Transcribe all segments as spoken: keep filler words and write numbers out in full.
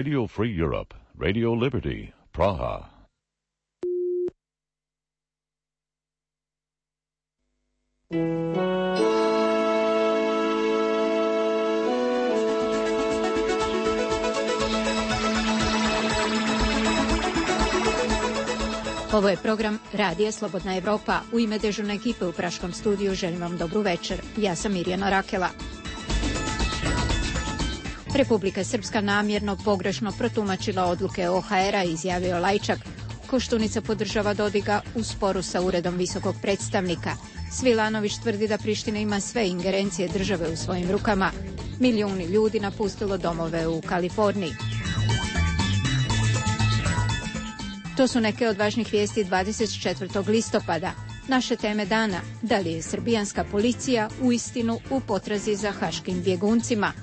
Radio Free Europe, Radio Liberty, Praha. Ovo je program Radija Slobodna Evropa. U ime dežurne ekipe u Praškom studiju želim vam dobru večer. Ja sam Mirjana Rakela. Republika Srpska namjerno pogrešno protumačila odluke O H R-a, izjavio Lajčak. Koštunica podržava Dodiga u sporu sa Uredom visokog predstavnika. Svilanović tvrdi da Priština ima sve ingerencije države u svojim rukama. Milijuni ljudi napustilo domove u Kaliforniji. To su neke od važnih vijesti dvadeset četvrtog listopada. Naše teme dana: da li je srbijanska policija uistinu u potrazi za haškim bjeguncima?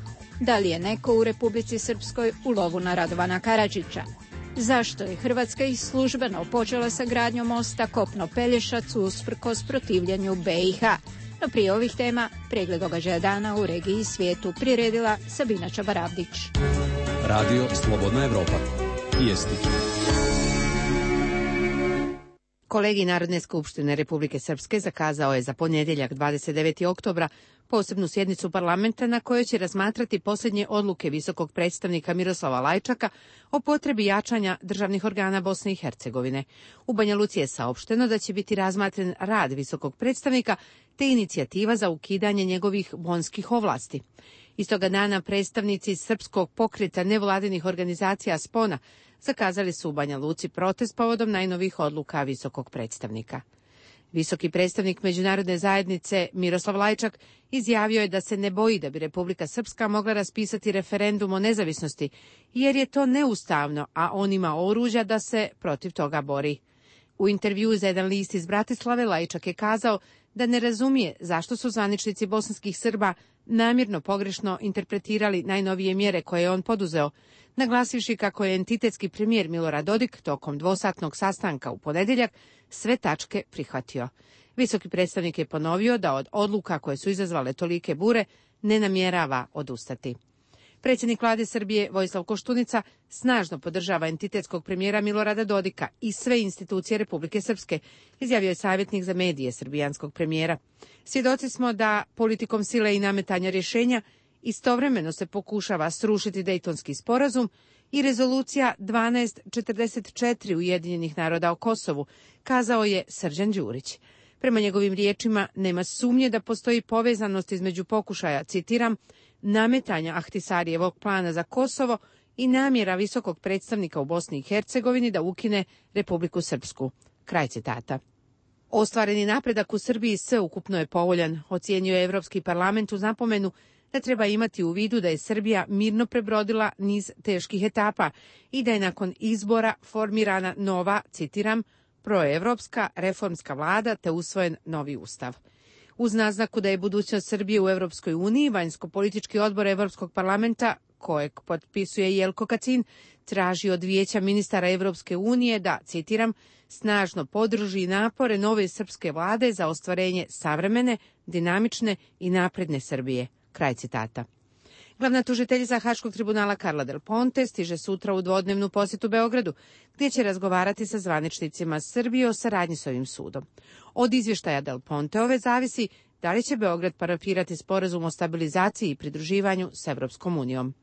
Da li je neko u Republici Srpskoj u lovu na Radovana Karadžića? Zašto je Hrvatska i službeno počela sa gradnjom mosta Kopno-Pelješac usprkos protivljenju B i H? No prije ovih tema, pregled događaja dana u regiji i svijetu priredila Sabina Čabaravdić. Radio Slobodna Evropa. Vijesti. Kolegij Narodne skupštine Republike Srpske zakazao je za ponedjeljak dvadeset devetog oktobra posebnu sjednicu parlamenta na kojoj će razmatrati posljednje odluke visokog predstavnika Miroslava Lajčaka o potrebi jačanja državnih organa Bosne i Hercegovine. U Banja Luci je saopšteno da će biti razmatren rad visokog predstavnika te inicijativa za ukidanje njegovih bonskih ovlasti. Istoga dana predstavnici Srpskog pokreta nevladinih organizacija Spona zakazali su u Banja Luci protest povodom najnovijih odluka visokog predstavnika. Visoki predstavnik međunarodne zajednice Miroslav Lajčak izjavio je da se ne boji da bi Republika Srpska mogla raspisati referendum o nezavisnosti, jer je to neustavno, a on ima oružja da se protiv toga bori. U intervjuu za jedan list iz Bratislave Lajčak je kazao da ne razumije zašto su zvaničnici bosanskih Srba namjerno pogrešno interpretirali najnovije mjere koje je on poduzeo, naglasivši kako je entitetski premijer Milorad Dodik tokom dvosatnog sastanka u ponedjeljak sve tačke prihvatio. Visoki predstavnik je ponovio da od odluka koje su izazvale tolike bure ne namjerava odustati. Predsjednik vlade Srbije Vojislav Koštunica snažno podržava entitetskog premijera Milorada Dodika i sve institucije Republike Srpske, izjavio je savjetnik za medije srbijanskog premijera. Svjedoci smo da politikom sile i nametanja rješenja istovremeno se pokušava srušiti Dejtonski sporazum i rezolucija dvanaest četrdeset četiri Ujedinjenih naroda o Kosovu, kazao je Srđan Đurić. Prema njegovim riječima nema sumnje da postoji povezanost između pokušaja, citiram, nametanja Ahtisarijevog plana za Kosovo i namjera visokog predstavnika u Bosni i Hercegovini da ukine Republiku Srpsku. Kraj citata. Ostvareni napredak u Srbiji sveukupno je povoljan, ocijenio je Evropski parlament uz napomenu da treba imati u vidu da je Srbija mirno prebrodila niz teških etapa i da je nakon izbora formirana nova, citiram, proevropska reformska vlada te usvojen novi ustav. Uz naznaku da je budućnost Srbije u Europskoj uniji, vanjsko-politički odbor Evropskog parlamenta, kojeg potpisuje Jelko Kacin, traži od Vijeća ministara Evropske unije da, citiram, snažno podrži napore nove srpske vlade za ostvarenje savremene, dinamične i napredne Srbije. Kraj citata. Glavna tužiteljica Haškog tribunala Karla Del Ponte stiže sutra u dvodnevnu posjetu Beogradu, gdje će razgovarati sa zvaničnicima Srbije o saradnji s ovim sudom. Od izvještaja Del Ponteove zavisi da li će Beograd parafirati sporazum o stabilizaciji i pridruživanju s Evropskom unijom.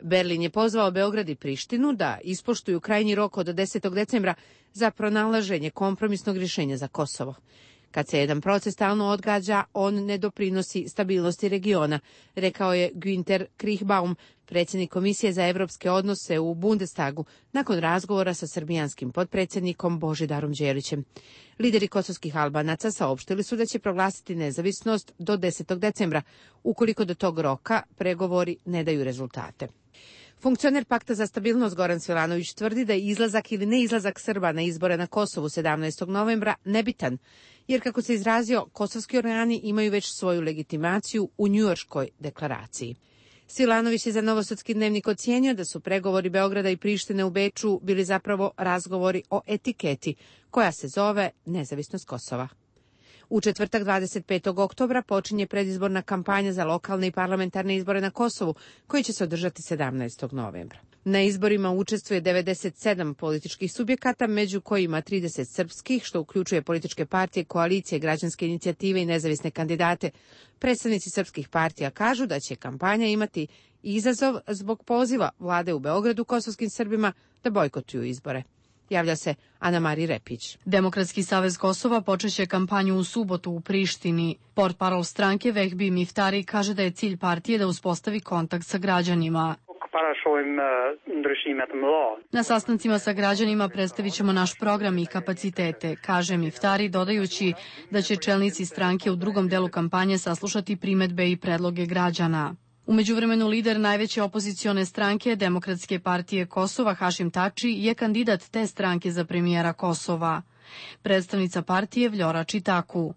Berlin je pozvao Beograd i Prištinu da ispoštuju krajnji rok od desetog decembra za pronalaženje kompromisnog rješenja za Kosovo. Kad se jedan proces stalno odgađa, on ne doprinosi stabilnosti regiona, rekao je Günther Kriechbaum, predsjednik Komisije za evropske odnose u Bundestagu, nakon razgovora sa srbijanskim potpredsjednikom Božidarom Đelićem. Lideri kosovskih Albanaca saopštili su da će proglasiti nezavisnost do desetog decembra, ukoliko do tog roka pregovori ne daju rezultate. Funkcioner Pakta za stabilnost Goran Svilanović tvrdi da je izlazak ili neizlazak Srba na izbore na Kosovu sedamnaestog novembra nebitan, jer kako se izrazio, kosovski organi imaju već svoju legitimaciju u Njujorškoj deklaraciji. Svilanović je za Novosadski dnevnik ocijenio da su pregovori Beograda i Prištine u Beču bili zapravo razgovori o etiketi, koja se zove nezavisnost Kosova. U četvrtak dvadeset petog oktobra počinje predizborna kampanja za lokalne i parlamentarne izbore na Kosovu, koji će se održati sedamnaestog novembra. Na izborima učestvuje devedeset sedam političkih subjekata, među kojima trideset srpskih, što uključuje političke partije, koalicije, građanske inicijative i nezavisne kandidate. Predstavnici srpskih partija kažu da će kampanja imati izazov zbog poziva vlade u Beogradu kosovskim Srbima da bojkotuju izbore. Javlja se Ana Mari Repić. Demokratski savez Kosova počeće kampanju u subotu u Prištini. Portparol stranke Vehbi Miftari kaže da je cilj partije da uspostavi kontakt sa građanima. Na sastancima sa građanima predstavit ćemo naš program i kapacitete, kaže Miftari, dodajući da će čelnici stranke u drugom delu kampanje saslušati primedbe i predloge građana. U međuvremenu lider najveće opozicione stranke Demokratske partije Kosova Hašim Tači je kandidat te stranke za premijera Kosova. Predstavnica partije Vljora Čitaku.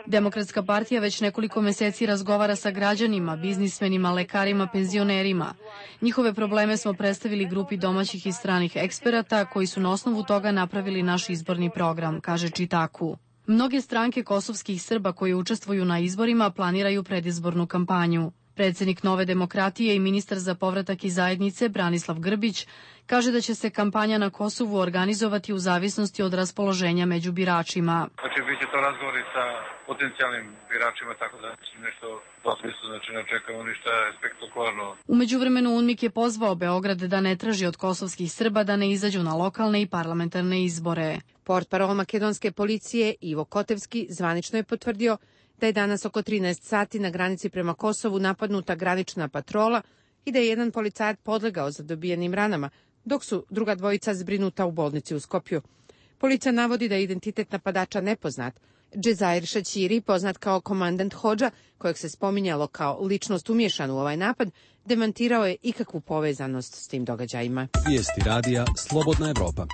Demokratska partija već nekoliko meseci razgovara sa građanima, biznismenima, lekarima, penzionerima. Njihove probleme smo predstavili grupi domaćih i stranih eksperata koji su na osnovu toga napravili naš izborni program, kaže Čitaku. Mnoge stranke kosovskih Srba koji učestvuju na izborima planiraju predizbornu kampanju. Predsjednik Nove demokratije i ministar za povratak i zajednice Branislav Grbić kaže da će se kampanja na Kosovu organizovati u zavisnosti od raspoloženja među biračima. Znači, bit će to razgovori sa potencijalnim biračima, tako da nešto u tom smislu, znači ne očekujemo ništa spektakularno. U međuvremenu UNMIK je pozvao Beograd da ne traži od kosovskih Srba da ne izađu na lokalne i parlamentarne izbore. Portparol makedonske policije Ivo Kotevski zvanično je potvrdio da je danas oko trinaest sati na granici prema Kosovu napadnuta granična patrola i da je jedan policajac podlegao za dobijenim ranama, dok su druga dvojica zbrinuta u bolnici u Skopju. Policija navodi da je identitet napadača nepoznat. Džezair Šaćiri, poznat kao komandant Hodža, kojeg se spominjalo kao ličnost umješan u ovaj napad, demantirao je ikakvu povezanost s tim događajima. Vijesti radija Slobodna Evropa.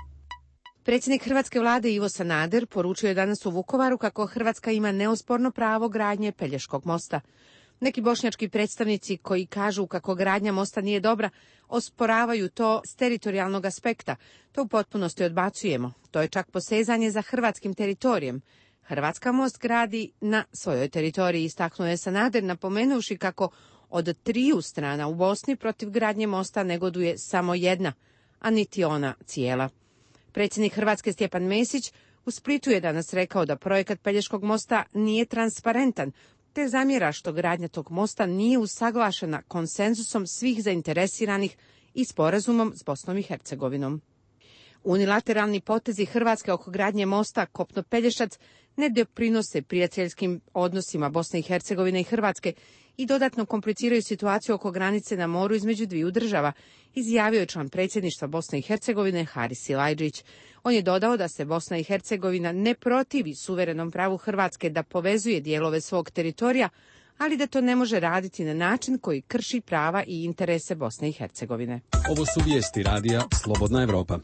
Predsjednik hrvatske vlade Ivo Sanader poručio je danas u Vukovaru kako Hrvatska ima neosporno pravo gradnje Pelješkog mosta. Neki bošnjački predstavnici koji kažu kako gradnja mosta nije dobra, osporavaju to s teritorijalnog aspekta. To u potpunosti odbacujemo. To je čak posezanje za hrvatskim teritorijem. Hrvatska most gradi na svojoj teritoriji, istaknuo je Sanader, napomenuvši kako od triju strana u Bosni protiv gradnje mosta negoduje samo jedna, a niti ona cijela. Predsjednik Hrvatske Stjepan Mesić u Splitu je danas rekao da projekat Pelješkog mosta nije transparentan, te zamjera što gradnja tog mosta nije usaglašena konsenzusom svih zainteresiranih i sporazumom s Bosnom i Hercegovinom. Unilateralni potezi Hrvatske oko gradnje mosta Kopno-Pelješac ne doprinose prijateljskim odnosima Bosne i Hercegovine i Hrvatske i dodatno kompliciraju situaciju oko granice na moru između dviju država, izjavio je član predsjedništva Bosne i Hercegovine Haris Silajdžić. On je dodao da se Bosna i Hercegovina ne protivi suverenom pravu Hrvatske da povezuje dijelove svog teritorija, ali da to ne može raditi na način koji krši prava i interese Bosne i Hercegovine. Ovo su vijesti radija Slobodna Evropa.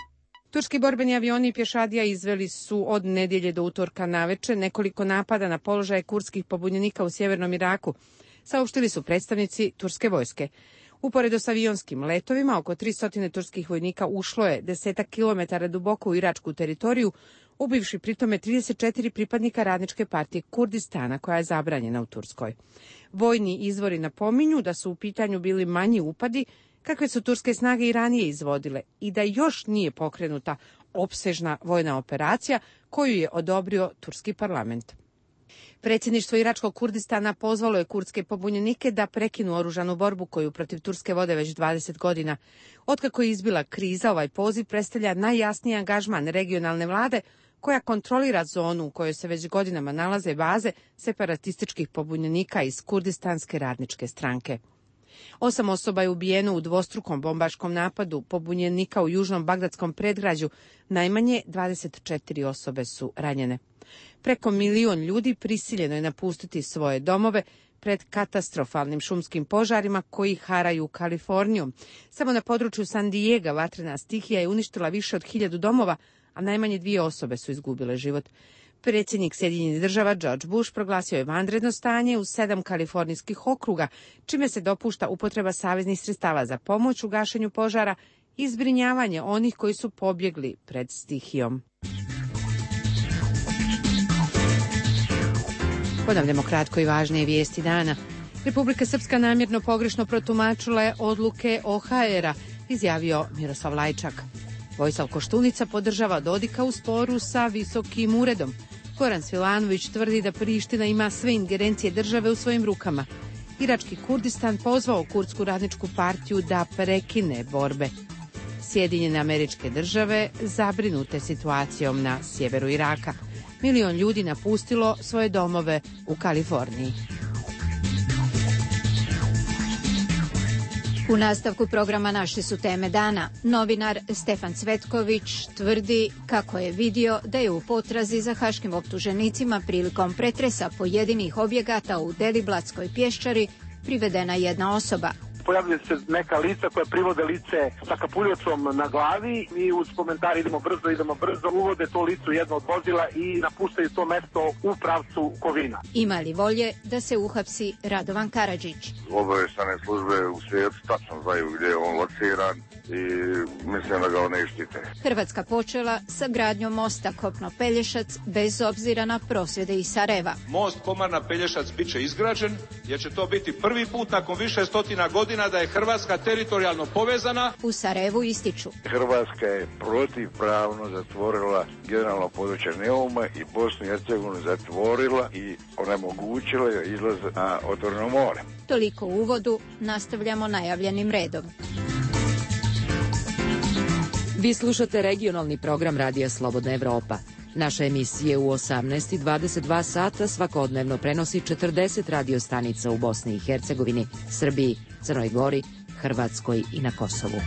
Turski borbeni avioni i pješadija izveli su od nedjelje do utorka naveče nekoliko napada na položaje kurdskih pobunjenika u sjevernom Iraku, saopštili su predstavnici turske vojske. Uporedo s avionskim letovima, oko tristo turskih vojnika ušlo je desetak kilometara duboko u iračku teritoriju, ubivši pritome trideset četiri pripadnika radničke partije Kurdistana, koja je zabranjena u Turskoj. Vojni izvori napominju da su u pitanju bili manji upadi, kakve su turske snage i ranije izvodile, i da još nije pokrenuta opsežna vojna operacija koju je odobrio turski parlament. Predsjedništvo iračkog Kurdistana pozvalo je kurdske pobunjenike da prekinu oružanu borbu koju protiv Turske vode već dvadeset godina. Otkako je izbila kriza, ovaj poziv predstavlja najjasniji angažman regionalne vlade koja kontrolira zonu u kojoj se već godinama nalaze baze separatističkih pobunjenika iz Kurdistanske radničke stranke. Osam osoba je ubijeno u dvostrukom bombaškom napadu pobunjenika u južnom bagdadskom predgrađu, najmanje dvadeset četiri osobe su ranjene. Preko milion ljudi prisiljeno je napustiti svoje domove pred katastrofalnim šumskim požarima koji haraju Kalifornijom. Samo na području San Diega vatrena stihija je uništila više od hiljadu domova, a najmanje dvije osobe su izgubile život. Predsjednik Sjedinjenih država George Bush proglasio je vanredno stanje u sedam kalifornijskih okruga, čime se dopušta upotreba saveznih sredstava za pomoć u gašenju požara i zbrinjavanje onih koji su pobjegli pred stihijom. Ponavljamo kratko i važnije vijesti dana. Republika Srpska namjerno pogrešno protumačila je odluke O H R-a izjavio Miroslav Lajčak. Vojislav Koštunica podržava Dodika u sporu sa Visokim uredom. Goran Svilanović tvrdi da Priština ima sve ingerencije države u svojim rukama. Irački Kurdistan pozvao Kurdsku radničku partiju da prekine borbe. Sjedinjene Američke Države zabrinute situacijom na sjeveru Iraka. Milion ljudi napustilo svoje domove u Kaliforniji. U nastavku programa naše su teme dana. Novinar Stefan Cvetković tvrdi kako je vidio da je u potrazi za haškim optuženicima prilikom pretresa pojedinih objekata u Deliblatskoj pješčari privedena jedna osoba. Pojavljaju se neka lica koja privode lice sa kapuljocom na glavi i uz komentar idemo brzo, idemo brzo, uvode to lice u jedno od vozila i napuštaju to mesto u pravcu Kovina. Ima li volje da se uhapsi Radovan Karadžić? Obavještajne službe u svijetu tačno znaju gdje je on lociran i mislim da ga ne štite. Hrvatska počela sa gradnjom mosta Kopno-Pelješac bez obzira na prosvjede iz Sarajeva. Most Komarna-Pelješac bit će izgrađen jer će to biti prvi put nakon više stotina godina da je Hrvatska teritorijalno povezana. U Sarajevu ističu. Hrvatska je protivpravno zatvorila generalno područje Neuma i Bosnu i Hercegovinu zatvorila i onemogućila je izlaz na otvoreno more. Toliko u uvodu, nastavljamo najavljenim redom. Vi slušate regionalni program Radija Slobodna Evropa. Naše emisije u osamnaest i dvadeset dva sata svakodnevno prenosi četrdeset radio stanica u Bosni i Hercegovini, Srbiji, Crnoj Gori, Hrvatskoj i na Kosovu.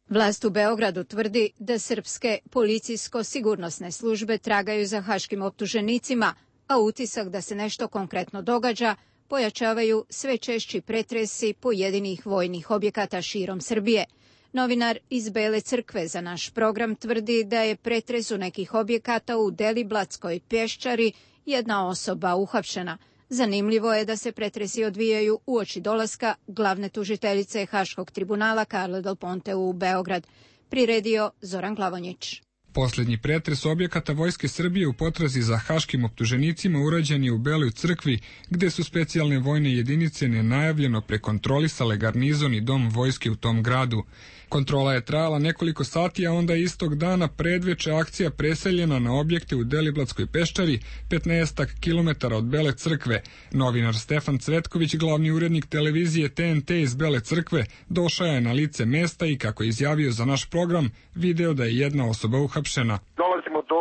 Vlast u Beogradu tvrdi da srpske policijsko-sigurnosne službe tragaju za haškim optuženicima, a utisak da se nešto konkretno događa pojačavaju sve češći pretresi pojedinih vojnih objekata širom Srbije. Novinar iz Bele crkve za naš program tvrdi da je pretresu nekih objekata u Deliblatskoj pješčari jedna osoba uhapšena. Zanimljivo je da se pretresi odvijaju uoči dolaska glavne tužiteljice Haškog tribunala Karle Del Ponte u Beograd. Priredio Zoran Glavonjić. Posljednji pretres objekata Vojske Srbije u potrazi za haškim optuženicima urađen je u Beloj crkvi, gde su specijalne vojne jedinice nenajavljeno prekontrolisale garnizon i dom vojske u tom gradu. Kontrola je trajala nekoliko sati, a onda istog dana predveče akcija preseljena na objekte u Deliblatskoj peščari, petnaestak kilometara od Bele crkve. Novinar Stefan Cvetković, glavni urednik televizije T N T iz Bele crkve, došao je na lice mesta i, kako je izjavio za naš program, video da je jedna osoba uhapšena. Dolazimo do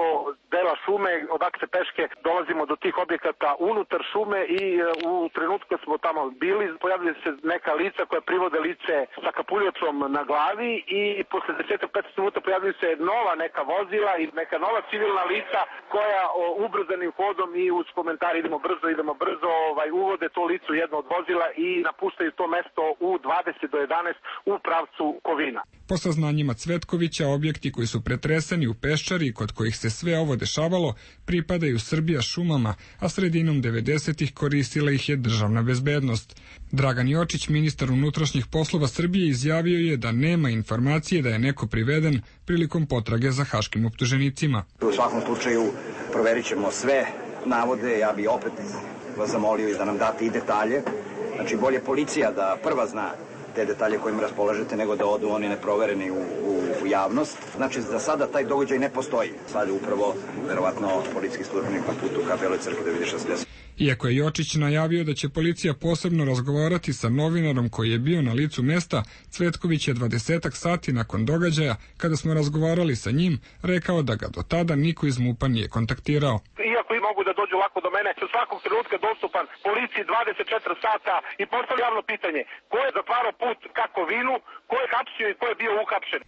dela šume, odakle se peške dolazimo do tih objekata unutar šume i u trenutku kad smo tamo bili pojavljaju se neka lica koja privode lice sa kapuljocom na glavi i posle deset do petnaest minuta pojavljaju se nova neka vozila i neka nova civilna lica koja o, ubrzanim hodom i uz komentar idemo brzo, idemo brzo, ovaj, uvode to lice u jedno od vozila i napuštaju to mesto u dvadeset do jedanaest u pravcu Kovina. Po saznanjima Cvetkovića, objekti koji su pretreseni u peščari kod kojih se sve ovo dešavalo pripadaju Srbija šumama, a sredinom devedesetih koristila ih je državna bezbednost. Dragan Jočić, ministar unutrašnjih poslova Srbije, izjavio je da nema informacije da je neko priveden prilikom potrage za haškim optuženicima. U svakom slučaju proverit ćemo sve navode, ja bih opet vas zamolio i da nam date i detalje. Znači bolje policija da prva zna te detalje kojim raspolažete nego da odu oni neprovereni u, u, u javnost. Znači za sada taj događaj ne postoji. Sad je upravo verovatno policijski službenik na putu ka Beloj crkvi da vidi šta se desi. Iako je Jočić najavio da će policija posebno razgovarati sa novinarom koji je bio na licu mesta, Cvetković je dvadesetak sati nakon događaja, kada smo razgovarali sa njim, rekao da ga do tada niko iz MUP-a nije kontaktirao. Iako i mogu da dođu lako do mene, u svakog trenutka dostupan policiji dvadeset četiri sata i postavlja javno pitanje ko je zatvarao put ka Kovinu, ko je hapsio i ko je bio uhapšen.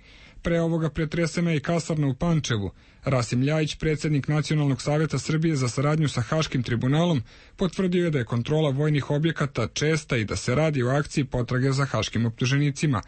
Pre ovoga pretresena je i kasarna u Pančevu. Rasim Ljajić, predsjednik Nacionalnog savjeta Srbije za saradnju sa Haškim tribunalom, potvrdio je da je kontrola vojnih objekata česta i da se radi o akciji potrage za haškim optuženicima.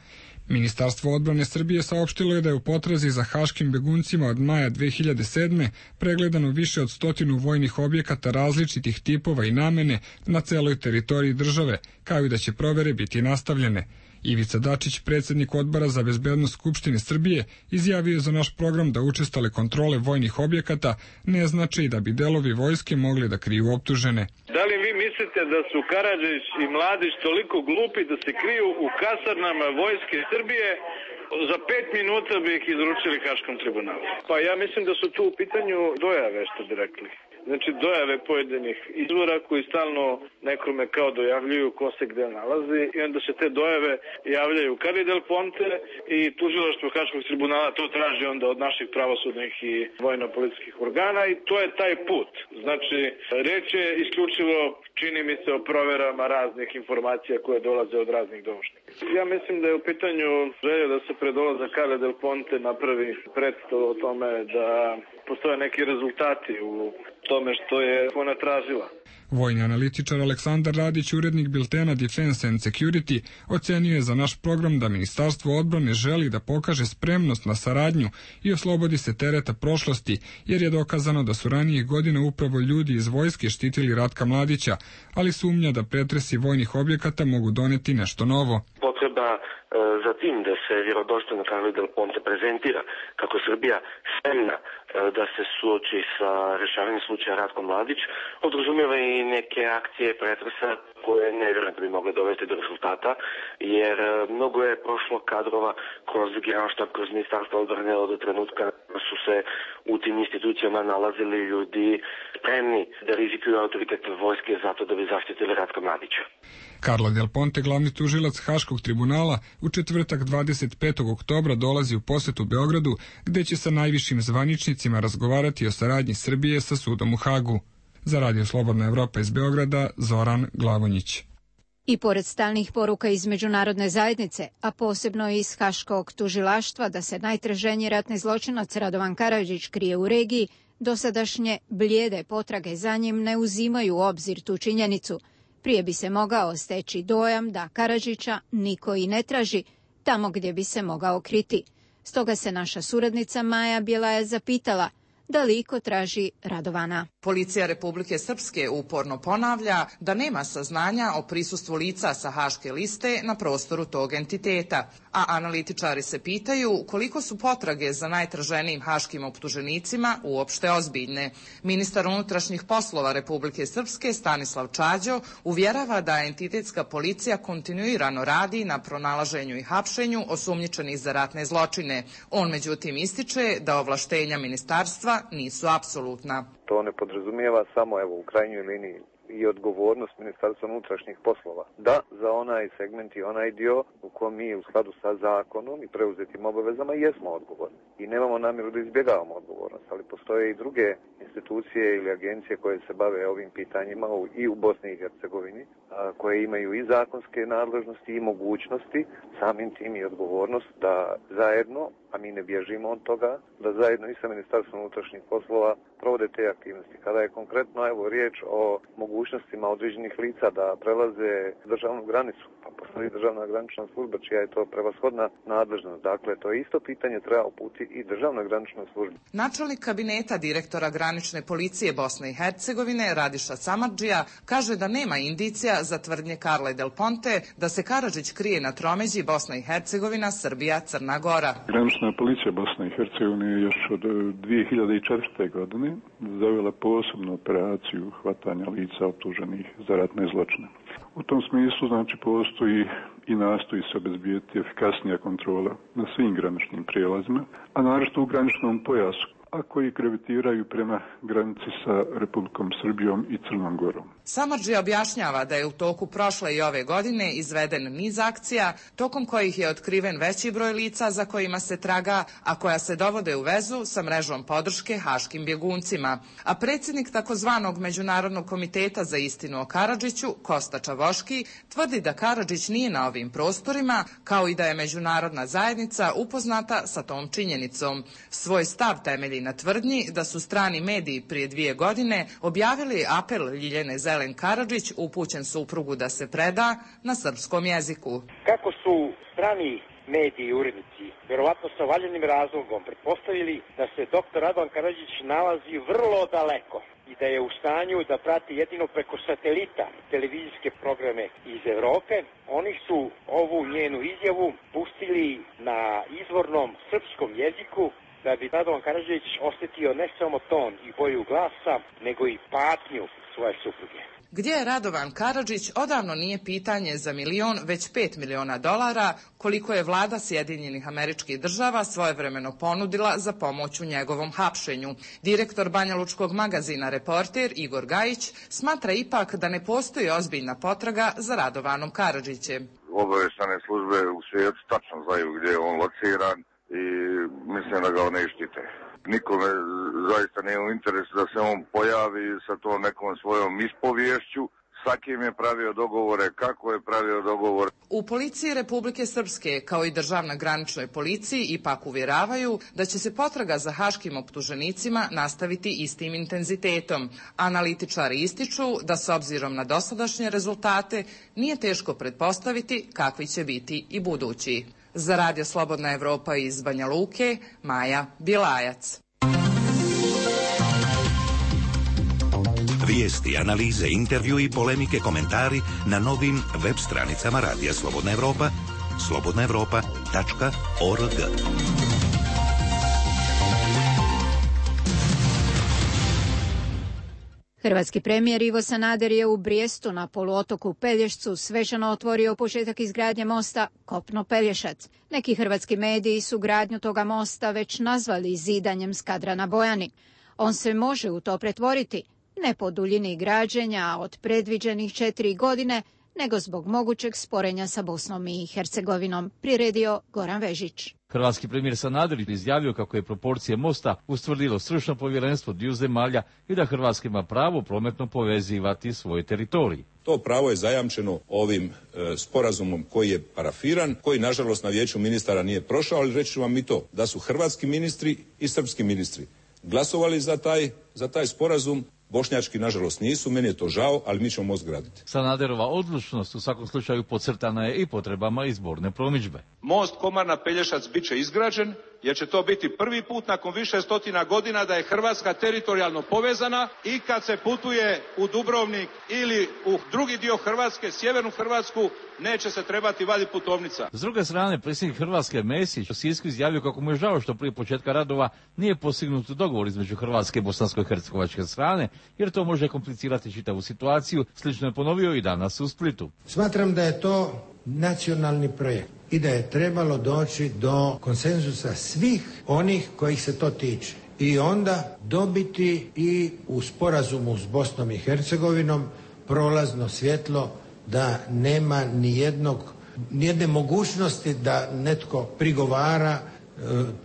Ministarstvo odbrane Srbije saopštilo je da je u potrazi za haškim beguncima od maja dve hiljade sedme pregledano više od stotinu vojnih objekata različitih tipova i namene na celoj teritoriji države, kao i da će provere biti nastavljene. Ivica Dačić, predsjednik Odbora za bezbednost Skupštine Srbije, izjavio je za naš program da učestale kontrole vojnih objekata ne znači da bi delovi vojske mogli da kriju optužene. Da li vi mislite da su Karadžić i Mladić toliko glupi da se kriju u kasarnama vojske Srbije? Za pet minuta bi ih izručili Haškom tribunalu. Pa ja mislim da su tu u pitanju dojave, što bi rekli. Znači dojave pojedinih izvora koji stalno nekome kao dojavljuju ko se gde nalazi i onda se te dojave javljaju Carli Del Ponte i tužilaštvo Haškog tribunala to traži onda od naših pravosudnih i vojno-policijskih organa i to je taj put. Znači reč je isključivo, čini mi se, o proverama raznih informacija koje dolaze od raznih doušnika. Ja mislim da je u pitanju želja da se pred dolazak Carli Del Ponte napravi predstav o tome da postoje neki rezultati u tome što je ona tražila. Vojni analitičar Aleksandar Radić, urednik biltena Defense and Security, ocenio je za naš program da Ministarstvo odbrane želi da pokaže spremnost na saradnju i oslobodi se tereta prošlosti, jer je dokazano da su ranijih godina upravo ljudi iz vojske štitili Ratka Mladića, ali sumnja da pretresi vojnih objekata mogu doneti nešto novo. Potreba za tim da se vjerodostojno Carli Del Ponte prezentira kako Srbija spremna da se suoči sa rešavanjem slučaja Ratko Mladić, podrazumijeva i neke akcije pretresa koje ne vjerujem da bi mogle dovesti do rezultata, jer mnogo je prošlo kadrova kroz Generalštab, kroz Ministarstvo odbrane od trenutka su se u tim institucijama nalazili ljudi spremni da rizikuju autoritet vojske zato da bi zaštitili Ratka Mladića. Carlo Del Ponte, glavni tužilac Haškog tribunala, u četvrtak dvadeset petog oktobra dolazi u posetu Beogradu, gde će sa najvišim zvaničnicima razgovarati o saradnji Srbije sa sudom u Hagu. Za Radio Slobodna Evropa iz Beograda, Zoran Glavonjić. I pored stalnih poruka iz međunarodne zajednice, a posebno iz Haškog tužilaštva da se najtraženiji ratni zločinac Radovan Karadžić krije u regiji, dosadašnje blijede potrage za njim ne uzimaju u obzir tu činjenicu. Prije bi se mogao steći dojam da Karadžića niko i ne traži tamo gdje bi se mogao kriti. Stoga se naša suradnica Maja Bjelaja zapitala da li iko traži Radovana. Policija Republike Srpske uporno ponavlja da nema saznanja o prisustvu lica sa haške liste na prostoru tog entiteta, a analitičari se pitaju koliko su potrage za najtraženijim haškim optuženicima uopšte ozbiljne. Ministar unutrašnjih poslova Republike Srpske Stanislav Čađo uvjerava da entitetska policija kontinuirano radi na pronalaženju i hapšenju osumnjičenih za ratne zločine. On međutim ističe da ovlaštenja ministarstva nisu apsolutna. To ne podrazumijeva samo, evo, u krajnjoj liniji i odgovornost Ministarstva unutrašnjih poslova. Da, za onaj segment i onaj dio u kojem mi u skladu sa zakonom i preuzetim obavezama jesmo odgovorni. I nemamo namjeru da izbjegavamo odgovornost, ali postoje i druge institucije ili agencije koje se bave ovim pitanjima i u Bosni i Hercegovini, koje imaju i zakonske nadležnosti i mogućnosti, samim tim i odgovornost da zajedno, a mi ne bježimo od toga, da zajedno i sa Ministarstvom unutrašnjih poslova provode te aktivnosti. Kada je konkretno evo riječ o mogućnostima određenih lica da prelaze državnu granicu, pa postoji državna granična služba čija je to prevashodna nadležnost. Dakle, to je isto pitanje treba uputiti i državna granična služba. Načelnik kabineta direktora granične policije Bosne i Hercegovine Radiša Samardžija kaže da nema indicija za tvrdnje Carle Del Ponte da se Karadžić krije na tromeđi Bosna i Hercegovina, Srbija, Crna Gora. Granična policija Bosne i Hercegovine je još od dvije hiljade četvrte. godine zavela posebnu operaciju hvatanja lica optuženih za ratne zločine. U tom smislu, znači, postoji i nastoji se obezbijeti efikasnija kontrola na svim graničnim prijelazima, a naročito u graničnom pojasu, a koji gravitiraju prema granici sa Republikom Srbijom i Crnom Gorom. Samardži objašnjava da je u toku prošle i ove godine izveden niz akcija, tokom kojih je otkriven veći broj lica za kojima se traga, a koja se dovode u vezu sa mrežom podrške haškim bjeguncima. A predsjednik takozvanog Međunarodnog komiteta za istinu o Karadžiću, Kosta Čavoški, tvrdi da Karadžić nije na ovim prostorima, kao i da je međunarodna zajednica upoznata sa tom činjenicom. Svoj stav temelji na tvrdnji da su strani mediji prije dvije godine objavili apel Ljiljane Zelen Karadžić upućen suprugu da se preda na srpskom jeziku. Kako su strani mediji i urednici, verovatno sa valjanim razlogom, pretpostavili da se doktor Radovan Karadžić nalazi vrlo daleko, i da je u stanju da prati jedino preko satelita televizijske programe iz Evrope. Oni su ovu njenu izjavu pustili na izvornom srpskom jeziku da bi Radovan Karadžić osjetio ne samo ton i boju glasa, nego i patnju svoje supruge. Gdje je Radovan Karadžić odavno nije pitanje za milion, već pet miliona dolara, koliko je vlada Sjedinjenih Američkih Država svojevremeno ponudila za pomoć u njegovom hapšenju. Direktor banjalučkog magazina Reporter Igor Gajić smatra ipak da ne postoji ozbiljna potraga za Radovanom Karadžićem. Obavještajne službe u svijetu tačno znaju gdje je on lociran i mislim da ga ne štite. Nikome zaista nije u interesu da se on pojavi sa tom nekom svojom ispoviješću, sa kim je pravio dogovore, kako je pravio dogovor. U policiji Republike Srpske, kao i državna graničnoj policiji, ipak uvjeravaju da će se potraga za haškim optuženicima nastaviti istim intenzitetom. Analitičari ističu da s obzirom na dosadašnje rezultate nije teško pretpostaviti kakvi će biti i budući. Za Radio Slobodna Evropa iz Banja Luke, Maja Bilajac. Vijesti, analize, intervju i polemike, komentari na novim web stranicama Radija Slobodna Evropa, slobodna evropa tačka org. Hrvatski premijer Ivo Sanader je u Brijestu na poluotoku Pelješcu svečano otvorio početak izgradnje mosta Kopno-Pelješac. Neki hrvatski mediji su gradnju toga mosta već nazvali zidanjem Skadra na Bojani. On se može u to pretvoriti, ne po duljini građenja od predviđenih četiri godine, nego zbog mogućeg sporenja sa Bosnom i Hercegovinom, priredio Goran Vežić. Hrvatski premijer Sanader izjavio kako je proporcije mosta ustvrdilo stručno povjerenstvo dviju zemalja i da Hrvatska ima pravo prometno povezivati svoj teritorij. To pravo je zajamčeno ovim e, sporazumom koji je parafiran, koji nažalost na vijeću ministara nije prošao, ali reći ću vam i to, da su hrvatski ministri i srpski ministri glasovali za taj, za taj sporazum. Bošnjački, nažalost, nisu, meni je to žao, ali mi ćemo most graditi. Sanaderova odlučnost u svakom slučaju podcrtana je i potrebama izborne promidžbe. Most Komarna-Pelješac bit će izgrađen, jer će to biti prvi put nakon više stotina godina da je Hrvatska teritorijalno povezana i kad se putuje u Dubrovnik ili u drugi dio Hrvatske, sjevernu Hrvatsku, neće se trebati vaditi putovnica. S druge strane, predsjednik Hrvatske Mesić u Sisku izjavio kako mu je žao što prije početka radova nije postignut dogovor između Hrvatske i bosansko-hercegovačke strane, jer to može komplicirati čitavu situaciju. Slično je ponovio i danas u Splitu. Smatram da je to nacionalni projekt i da je trebalo doći do konsenzusa svih onih kojih se to tiče i onda dobiti i u sporazumu s Bosnom i Hercegovinom prolazno svjetlo da nema ni jednog, ni jedne mogućnosti da netko prigovara e,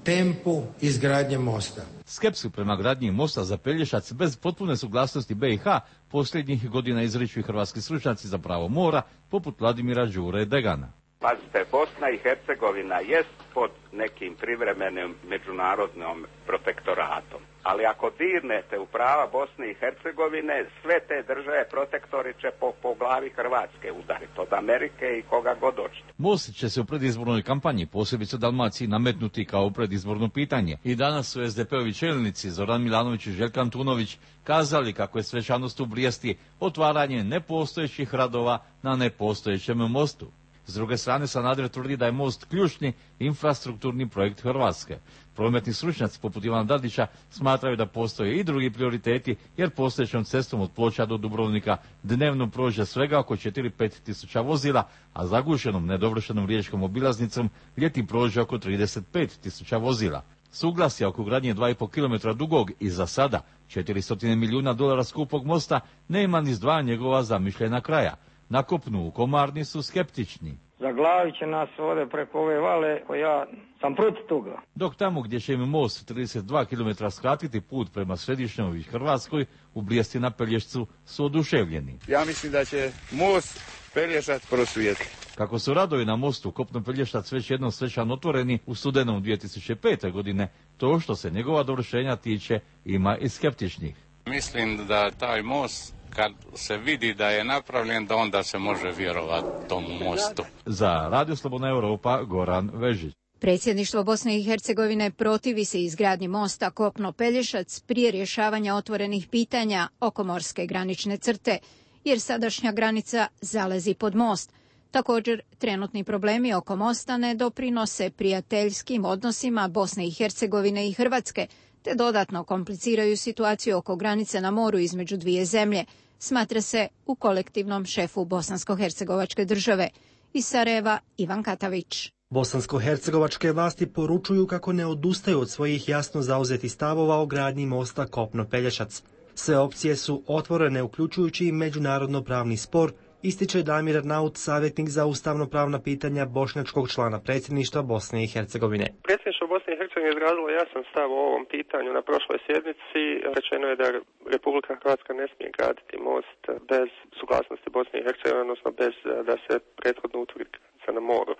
tempu izgradnje mosta. Skepsu prema gradnji mosta za Pelješac bez potpune suglasnosti B i H posljednjih godina izriču i hrvatski stručnjaci za pravo mora, poput Vladimira Đure Degana. Pazite, Bosna i Hercegovina jest pod nekim privremenim međunarodnom protektoratom. Ali ako dirnete u prava Bosne i Hercegovine, sve te države protektori će po, po glavi Hrvatske udariti, od Amerike i koga god hoćete. Most će se u predizbornoj kampanji, posebice u Dalmaciji, nametnuti kao predizborno pitanje. I danas su es de pe ovi čelnici Zoran Milanović i Željko Antunović kazali kako je svečanost u Brijesti otvaranje nepostojećih radova na nepostojećem mostu. S druge strane, Sanader tvrdi da je most ključni infrastrukturni projekt Hrvatske. Prometni stručnjaci poput Ivana Dadića smatraju da postoje i drugi prioriteti, jer postojećom cestom od Ploča do Dubrovnika dnevno prođe svega oko četiri do pet tisuća vozila, a zagušenom nedovršenom riječkom obilaznicom ljeti prođe oko trideset pet tisuća vozila. Suglasje oko gradnje dva i po kilometra dugog i za sada četiristo milijuna dolara skupog mosta nema ni s dva njegova zamišljena kraja. Na kopnu u Komarni su skeptični. Zaglavit će nas ovdje preko ove vale, ko ja sam protiv toga. Dok tamo gdje će im most trideset dva kilometra skratiti put prema središnjoj Hrvatskoj, u Brijesti na Pelješcu su oduševljeni. Ja mislim da će most Pelješac prosvijetli. Kako su radovi na mostu Kopno-Pelješac već jednom svečano otvoreni u studenom dvije tisuće pete. godine, to što se njegova dovršenja tiče ima i skeptičnih. Mislim da taj most, kad se vidi da je napravljen, da onda se može vjerovati tomu mostu. Za Radio Slobodna Evropa, Goran Vežić. Predsjedništvo Bosne i Hercegovine protivi se izgradnji mosta Kopno-Pelješac prije rješavanja otvorenih pitanja oko morske granične crte, jer sadašnja granica zalazi pod most. Također, trenutni problemi oko mosta ne doprinose prijateljskim odnosima Bosne i Hercegovine i Hrvatske, te dodatno kompliciraju situaciju oko granice na moru između dvije zemlje, smatra se u kolektivnom šefu bosansko-hercegovačke države. Iz Sarajeva, Ivan Katavić. Bosansko-hercegovačke vlasti poručuju kako ne odustaju od svojih jasno zauzetih stavova o gradnji mosta Kopno-Pelješac. Sve opcije su otvorene, uključujući i međunarodno-pravni spor, ističe Damir Arnaut, savjetnik za ustavno-pravna pitanja bošnjačkog člana predsjedništva Bosne i Hercegovine. Predsjedništvo Bosne i Hercegovine izrazilo jasan stav o ovom pitanju na prošloj sjednici. Rečeno je da Republika Hrvatska ne smije graditi most bez suglasnosti Bosne i Hercegovine, odnosno bez da se prethodno utvrdi granica na moru.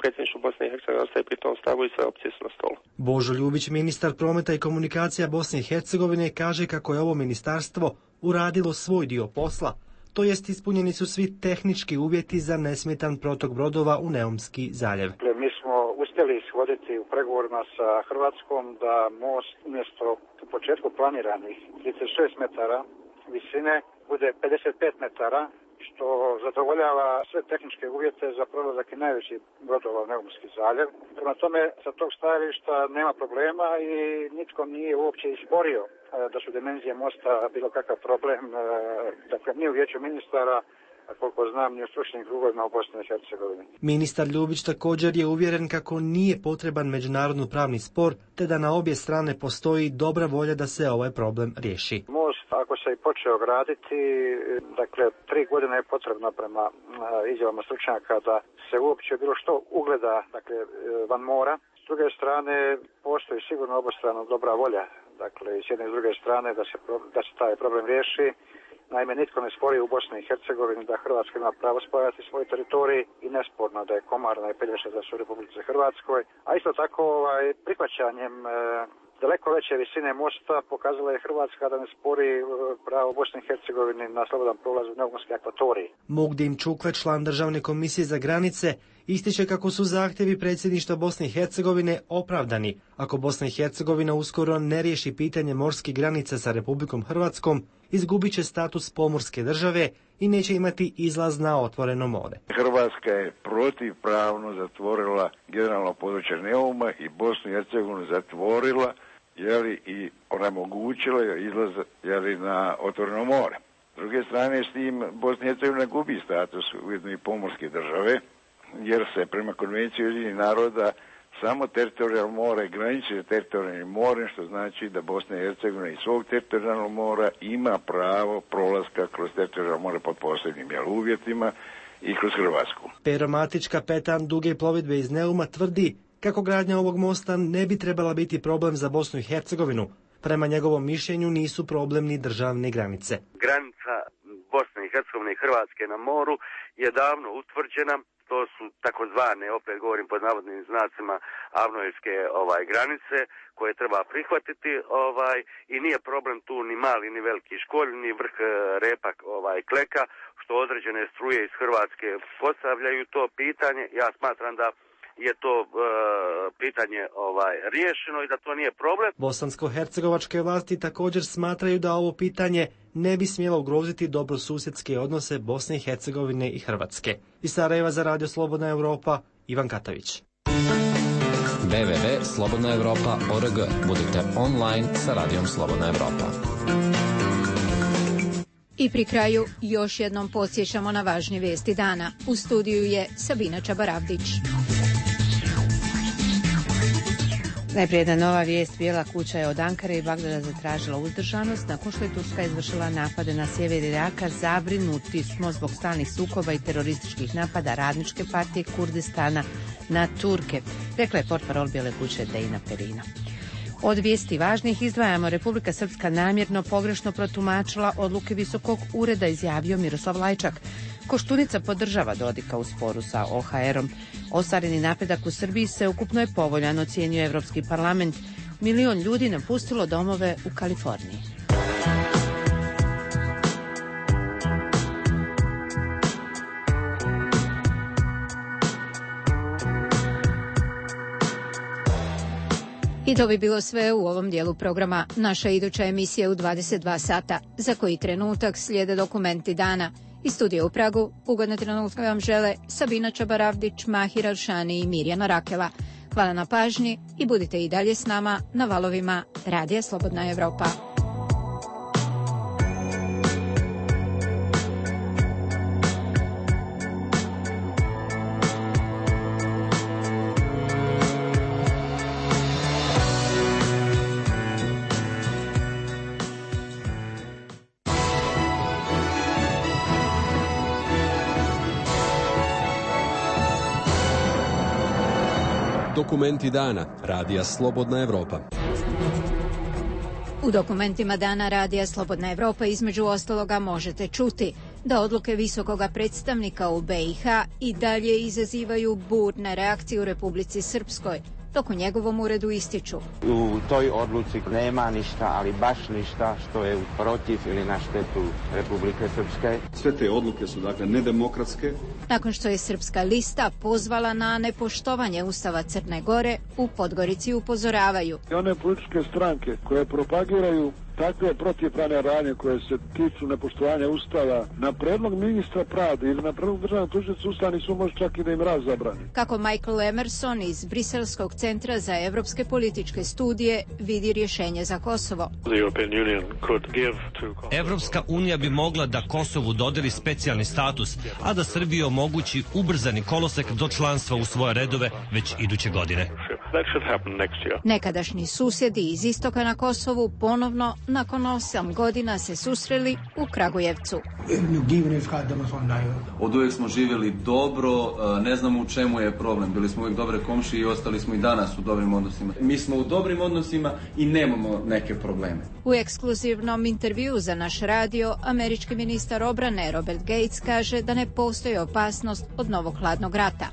Predsjedništvo Bosne i Hercegovine ostaje pri tom stavu i sve opcije su na stolu. Božo Ljubić, ministar prometa i komunikacija Bosne i Hercegovine, kaže kako je ovo ministarstvo uradilo svoj dio posla, to jest ispunjeni su svi tehnički uvjeti za nesmetan protok brodova u Neumski zaljev. Mi smo uspjeli ishoditi u pregovorima sa Hrvatskom da most umjesto u početku planiranih trideset šest metara visine bude pedeset pet metara, što zadovoljava sve tehničke uvjete za prolazak i najveći brodova u Neumski zaljev. Prema tome, sa tog stajališta nema problema i nitko nije uopće izborio da su dimenzije mosta bilo kakav problem. Dakle, ni u vijeću ministara, a koliko znam, ni u stručnim krugovima u Bosni i Hercegovini. Ministar Ljubić također je uvjeren kako nije potreban međunarodno pravni spor, te da na obje strane postoji dobra volja da se ovaj problem riješi. Most, ako se i počeo graditi, dakle, tri godine je potrebno prema izjavama stručnjaka da se uopće bilo što ugleda, dakle, van mora. S druge strane, postoji sigurno obostrano dobra volja, dakle, i s jedne i s druge strane da se, da se taj problem riješi. Naime, nitko ne spori u Bosni i Hercegovini da Hrvatska ima pravo spojati svoj teritorij i nesporno da je Komarna i Pelješac da su u Republici Hrvatskoj. A isto tako ovaj, prihvaćanjem e, daleko veće visine mosta pokazala je Hrvatska da ne spori e, pravo Bosne i Hercegovine na slobodan prolaz u Neumorski akvatorij. Mugdin Čukle, član Državne komisije za granice, ističe kako su zahtjevi predsjedništva Bosne i Hercegovine opravdani ako Bosna i Hercegovina uskoro ne riješi pitanje morskih granica sa Republikom Hrvatskom, izgubit će status pomorske države i neće imati izlaz na otvoreno more. Hrvatska je protivpravno zatvorila generalno područje Neuma i Bosnu i Hercegovinu zatvorila jeli, i onemogućila je izlaz jeli, na otvoreno more. S druge strane, s tim Bosna i Hercegovina gubi status ujedno i pomorske države, jer se prema konvenciji Ujedinjenih naroda samo teritorijalno more graniči teritorijalnim morem, što znači da Bosna i Hercegovina iz svog teritorijalnog mora ima pravo prolaska kroz teritorijalno more pod posebnim jel, uvjetima i kroz Hrvatsku. Pero Matić, kapetan duge plovidbe iz Neuma, tvrdi kako gradnja ovog mosta ne bi trebala biti problem za Bosnu i Hercegovinu. Prema njegovom mišljenju nisu problem ni državne granice. Granica Bosne i Hercegovine i Hrvatske na moru je davno utvrđena. To su takozvane, opet govorim pod navodnim znacima, avnojevske ovaj, granice koje treba prihvatiti ovaj, i nije problem tu ni mali ni veliki školj, ni vrh repak ovaj, kleka, što određene struje iz Hrvatske postavljaju to pitanje. Ja smatram da je to e, pitanje ovaj, riješeno i da to nije problem. Bosansko-hercegovačke vlasti također smatraju da ovo pitanje ne bi smjelo ugroziti dobrosusjedske odnose Bosne i Hercegovine i Hrvatske. Iz Sarajeva za Radio Slobodna Europa, Ivan Katavić. w w w tačka slobodna europa tačka org. Budite online sa Radijom Slobodna Europa. I pri kraju još jednom podsjećamo na važnje vijesti dana. U studiju je Sabina Čabaravdić. Najprije jedna nova vijest. Bijela kuća je od Ankare i Bagdada zatražila uzdržanost nakon što je Turska izvršila napade na sjever Iraka. Zabrinuti smo zbog stalnih sukoba i terorističkih napada Radničke partije Kurdistana na Turke, rekla je portparol Bijele kuće Dejna Perina. Od vijesti važnih izdvajamo: Republika Srpska namjerno pogrešno protumačila odluke Visokog ureda, izjavio Miroslav Lajčak. Koštunica podržava Dodika u sporu sa O H R-om. Ostvareni napredak u Srbiji se ukupno je povoljan, ocjenjuje Evropski parlament. Milion ljudi napustilo domove u Kaliforniji. I to bi bilo sve u ovom dijelu programa. Naša iduća emisija u dvadeset dva sata. Za koji trenutak slijede dokumenti dana. Iz studija u Pragu ugodne trenutke vam žele Sabina Čabaravdić, Mahir Alšani i Mirjana Rakela. Hvala na pažnji i budite i dalje s nama na valovima Radija Slobodna Evropa. Dokumenti dana Radija Slobodna Evropa. U dokumentima dana Radija Slobodna Evropa između ostaloga možete čuti da odluke visokoga predstavnika u B i H i dalje izazivaju burne reakcije u Republici Srpskoj, dok u njegovom uredu ističu: u toj odluci nema ništa, ali baš ništa što je protiv ili na štetu Republike Srpske. Sve te odluke su dakle nedemokratske. Nakon što je Srpska lista pozvala na nepoštovanje Ustava Crne Gore, u Podgorici upozoravaju: one političke stranke koje propagiraju takve protivpravne radnje koje se tiču nepoštovanja Ustava, na predlog ministra pravde ili na predlog državnog tužioca Ustavni sud može čak i da im raz zabrani. Kako Michael Emerson iz Briselskog centra za evropske političke studije vidi rješenje za Kosovo. Evropska unija bi mogla da Kosovu dodeli specijalni status, a da Srbiji omogući ubrzani kolosek do članstva u svoje redove već iduće godine. Nekadašnji susjedi iz istoka na Kosovu ponovno nakon osam godina se susreli u Kragujevcu. Od uvijek smo živjeli dobro, ne znamo u čemu je problem. Bili smo uvijek dobre komšije i ostali smo i danas u dobrim odnosima. Mi smo u dobrim odnosima i nemamo neke probleme. U ekskluzivnom intervju za naš radio, američki ministar obrane Robert Gates kaže da ne postoji opasnost od novog hladnog rata.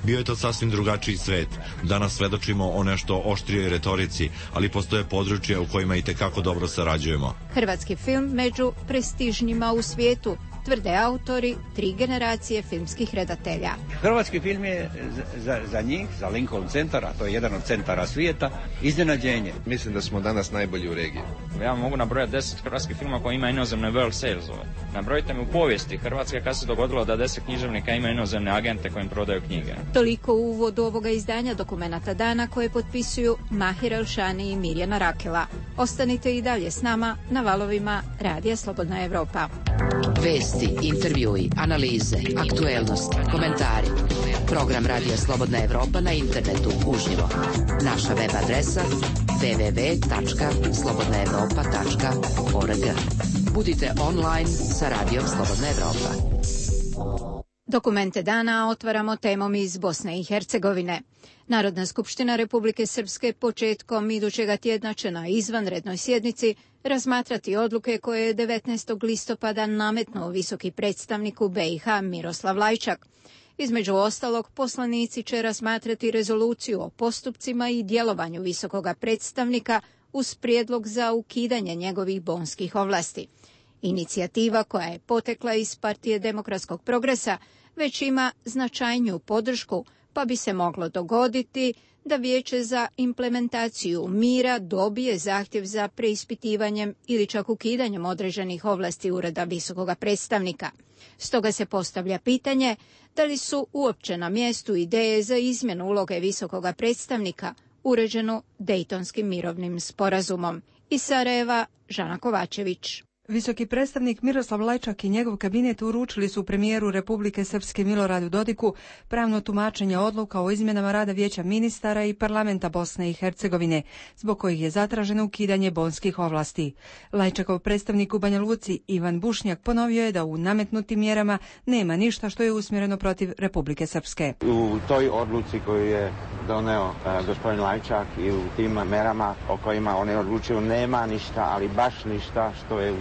Bio je to sasvim drugačiji svet. Danas svedočimo o nešto oštrijoj retorici, ali postoje područja u kojima i tekako dobro sarađujemo. Hrvatski film među prestižnjima u svijetu, tvrde autori tri generacije filmskih redatelja. Hrvatski film je za, za njih, za Lincoln Centar, a to je jedan od centara svijeta, iznenađenje. Mislim da smo danas najbolji u regiji. Ja mogu nabrojati deset hrvatskih filma koji ima inozemne world salesove. Nabrojite mi u povijesti Hrvatske kad se dogodilo da deset književnika ima inozemne agente kojim prodaju knjige. Toliko u uvodu ovoga izdanja dokumenata dana koje potpisuju Mahir Alšani i Mirjana Rakela. Ostanite i dalje s nama na valovima Radija Slobodna Evropa. Vesti, intervjui, analize, aktuelnosti, komentari. Program Radija Slobodna Evropa na internetu uživo. Naša web adresa w w w tačka slobodna evropa tačka org. Budite online sa Radijom Slobodna Evropa. Dokumente dana otvaramo temom iz Bosne i Hercegovine. Narodna skupština Republike Srpske početkom idućega tjedna će na izvanrednoj sjednici razmatrati odluke koje je devetnaestog listopada nametnuo visoki predstavnik u B i H Miroslav Lajčak. Između ostalog, poslanici će razmatrati rezoluciju o postupcima i djelovanju visokoga predstavnika uz prijedlog za ukidanje njegovih bonskih ovlasti. Inicijativa koja je potekla iz Partije demokratskog progresa već ima značajniju podršku, pa bi se moglo dogoditi da Vijeće za implementaciju mira dobije zahtjev za preispitivanjem ili čak ukidanjem određenih ovlasti Ureda visokoga predstavnika. Stoga se postavlja pitanje da li su uopće na mjestu ideje za izmjenu uloge visokoga predstavnika uređenu Dejtonskim mirovnim sporazumom. Iz Sarajeva, Žana Kovačević. Visoki predstavnik Miroslav Lajčak i njegov kabinet uručili su premijeru Republike Srpske Miloradu Dodiku pravno tumačenje odluka o izmjenama rada Vijeća ministara i parlamenta Bosne i Hercegovine, zbog kojih je zatraženo ukidanje bonskih ovlasti. Lajčakov predstavnik u Banja Luci Ivan Bušnjak ponovio je da u nametnutim mjerama nema ništa što je usmjereno protiv Republike Srpske. U toj odluci koju je doneo uh, gospodin Lajčak i u tim merama o kojima oni odlučuju nema ništa, ali baš ništa što je u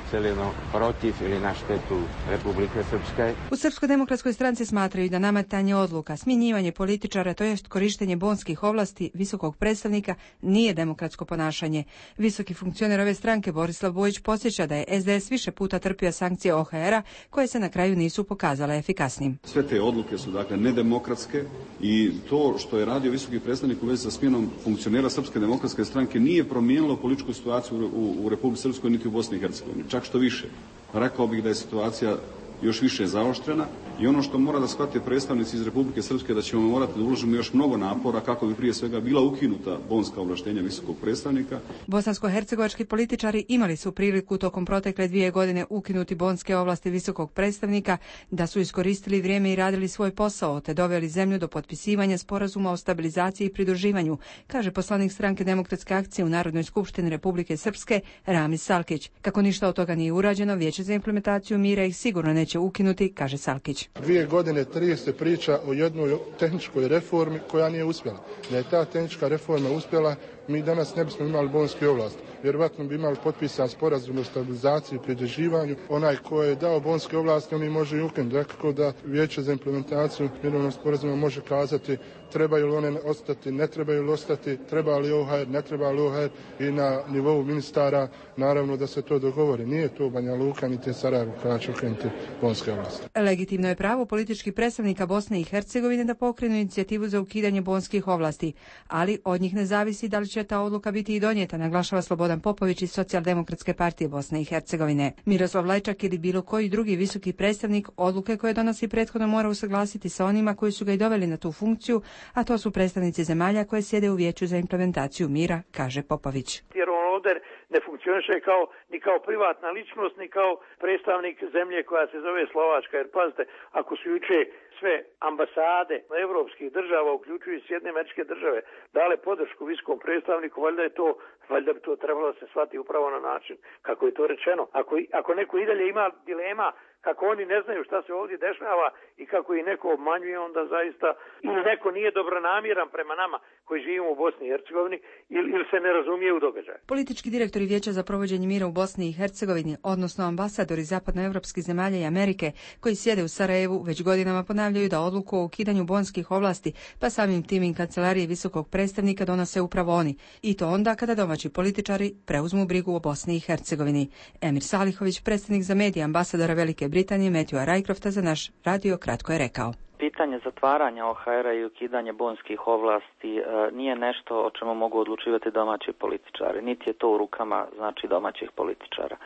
protiv ili na štetu Republike Srpske. U Srpskoj demokratskoj stranci smatraju da nametanje odluka, smjenjivanje političara, to jest korištenje bonskih ovlasti visokog predstavnika nije demokratsko ponašanje. Visoki funkcioner ove stranke Borislav Bojić podsjeća da je S D S više puta trpio sankcije O H R-a koje se na kraju nisu pokazale efikasnim. Sve te odluke su dakle nedemokratske i to što je radio visoki visoki predstavnik u vezi sa smjenom funkcionera Srpske demokratske stranke nije promijenilo političku situaciju u, u Republici Srpskoj niti u Bosni i Hercegovini. Čak što više, rekao bih da je situacija još više zaoštrena i ono što mora da shvate predstavnici iz Republike Srpske da ćemo morati da uložimo još mnogo napora kako bi prije svega bila ukinuta bonska ovlaštenja visokog predstavnika. Bosansko-hercegovački političari imali su priliku tokom protekle dvije godine ukinuti bonske ovlasti visokog predstavnika, da su iskoristili vrijeme i radili svoj posao, te doveli zemlju do potpisivanja sporazuma o stabilizaciji i pridruživanju, kaže poslanik stranke Demokratske akcije u Narodnoj skupštini Republike Srpske Ramiz Salkić. Kako ništa od toga nije urađeno, Vijeće za implementaciju mira ih sigurno neće ukinuti, kaže Salkić. Dvije godine, tri se priča o jednoj tehničkoj reformi koja nije uspjela. Da je ta tehnička reforma uspjela, mi danas ne bismo imali bonske ovlasti. Vjerovatno bi imali potpisan sporazum o stabilizaciji i pridruživanju. Onaj ko je dao bonske ovlasti, on i može i ukinuti. Dakle, da Vijeće za implementaciju mirovnog sporazuma može kazati trebaju li one ostati, ne trebaju li ostati, treba li O H R, ne treba li O H R i na nivou ministara naravno da se to dogovori. Nije to Banja Luka niti Sarajevo koja će ukinuti bonske ovlasti. Legitimno je pravo političkih predstavnika Bosne i Hercegovine da pokrenu inicijativu za ukidanje bonskih ovlasti, ali od njih ne zavisi da li će ta odluka biti i donijeta, naglašava Slobodan Popović iz Socijaldemokratske partije Bosne i Hercegovine. Miroslav Lajčak ili bilo koji drugi visoki predstavnik odluke koje donosi prethodno mora usaglasiti sa onima koji su ga i doveli na tu funkciju, a to su predstavnici zemalja koje sjede u Vijeću za implementaciju mira, kaže Popović. Jer on ovdje ne funkcioniše kao, ni kao privatna ličnost, ni kao predstavnik zemlje koja se zove Slovačka. Jer pazite, ako su juče sve ambasade evropskih država, uključujući Sjedinjene Američke Države, dale podršku visokom predstavniku, valjda je to, valjda bi to trebalo da se shvati upravo na način kako je to rečeno. Ako, ako neko i dalje ima dilema kako oni ne znaju šta se ovdje dešava i kako ih neko obmanjuje, onda zaista ili neko nije dobronamjeran prema nama koji živimo u Bosni i Hercegovini ili, ili se ne razumije u događaju. Politički direktori Vijeća za provođenje mira u Bosni i Hercegovini, odnosno ambasadori zapadnoevropskih zemalja i Amerike koji sjede u Sarajevu, već godinama ponavljaju da odluku o ukidanju bonskih ovlasti, pa samim tim i kancelarije visokog predstavnika donose upravo oni. I to onda kada domaći političari preuzmu brigu o Bosni i Hercegovini. Emir Salihović, predstavnik za medije ambasadora Velike Britanije Matthewa Rycrofta za naš radio kratko je rekao. Pitanje zatvaranja O H R-a i ukidanje bonskih ovlasti e, nije nešto o čemu mogu odlučivati domaći političari, niti je to u rukama znači domaćih političara.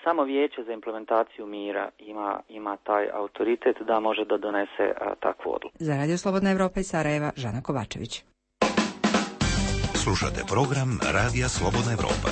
Samo Vijeće za implementaciju mira ima, ima taj autoritet da može da donese a, takvu odluku. Za Radio Slobodna Evropa iz Sarajeva, Žana Kovačević. Slušate program Radija Slobodna Evropa.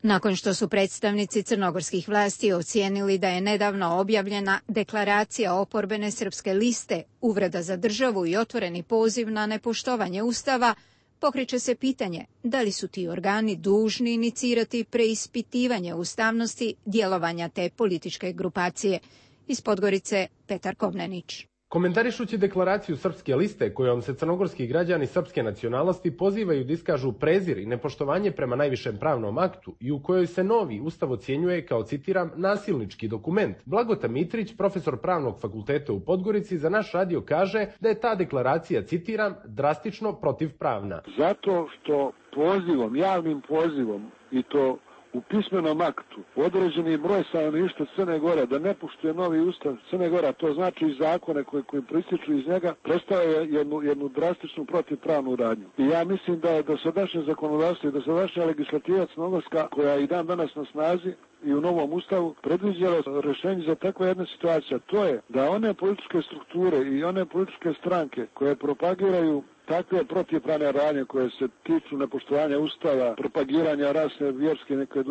Nakon što su predstavnici crnogorskih vlasti ocijenili da je nedavno objavljena deklaracija oporbene srpske liste uvreda za državu i otvoreni poziv na nepoštovanje Ustava, pokreće se pitanje da li su ti organi dužni inicirati preispitivanje ustavnosti djelovanja te političke grupacije. Iz Podgorice, Petar Kovnenić. Komentarišući deklaraciju Srpske liste kojom se crnogorski građani srpske nacionalnosti pozivaju da iskažu prezir i nepoštovanje prema najvišem pravnom aktu i u kojoj se novi ustav ocjenjuje kao, citiram, nasilnički dokument, Blagota Mitrić, profesor pravnog fakulteta u Podgorici, za naš radio kaže da je ta deklaracija, citiram, drastično protivpravna. Zato što pozivom, javnim pozivom i to u pismenom aktu određeni broj stanovništva Crne Gore da ne poštuje novi ustav Crne Gore, to znači i zakone koji, koji prističu iz njega, predstavlja jednu, jednu drastičnu protivpravnu radnju. I ja mislim da je dosadašnje zakonodavstvo i dosadašnja legislativa crnogorska, koja je i dan danas na snazi i u novom ustavu, predviđala rješenje za takve jedne situacije. To je da one političke strukture i one političke stranke koje propagiraju takve protivpravne radnje koje se tiču nepoštovanja ustava, propagiranja rasne, vjerske, neke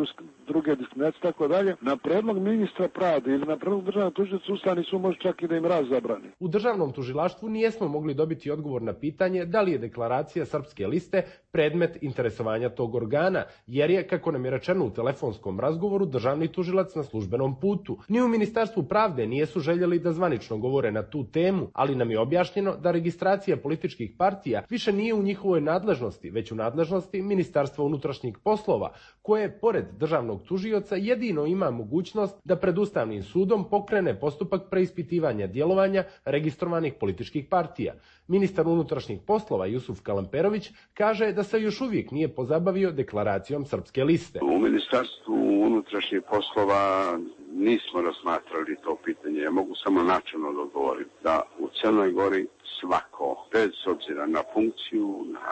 druge diskriminacije, tako dalje, na predlog ministra pravde ili na predlog državnog tužioca Ustavni sud može čak i da im raz zabrani. U državnom tužilaštvu nijesmo mogli dobiti odgovor na pitanje da li je deklaracija Srpske liste predmet interesovanja tog organa, jer je, kako nam je rečeno u telefonskom razgovoru, državni tužilac na službenom putu. Ni u Ministarstvu pravde nijesu željeli da zvanično govore na tu temu, ali nam je objašnjeno da registracija političkih partija više nije u njihovoj nadležnosti, već u nadležnosti Ministarstva unutrašnjih poslova, koje, pored državnog tužioca, jedino ima mogućnost da pred Ustavnim sudom pokrene postupak preispitivanja djelovanja registrovanih političkih partija. Ministar unutrašnjih poslova Jusuf Kalamperović kaže da se još uvijek nije pozabavio deklaracijom Srpske liste. U Ministarstvu unutrašnjih poslova nismo razmatrali to pitanje. Ja mogu samo načelno da odgovorim da u Crnoj Gori svako, bez obzira na funkciju, na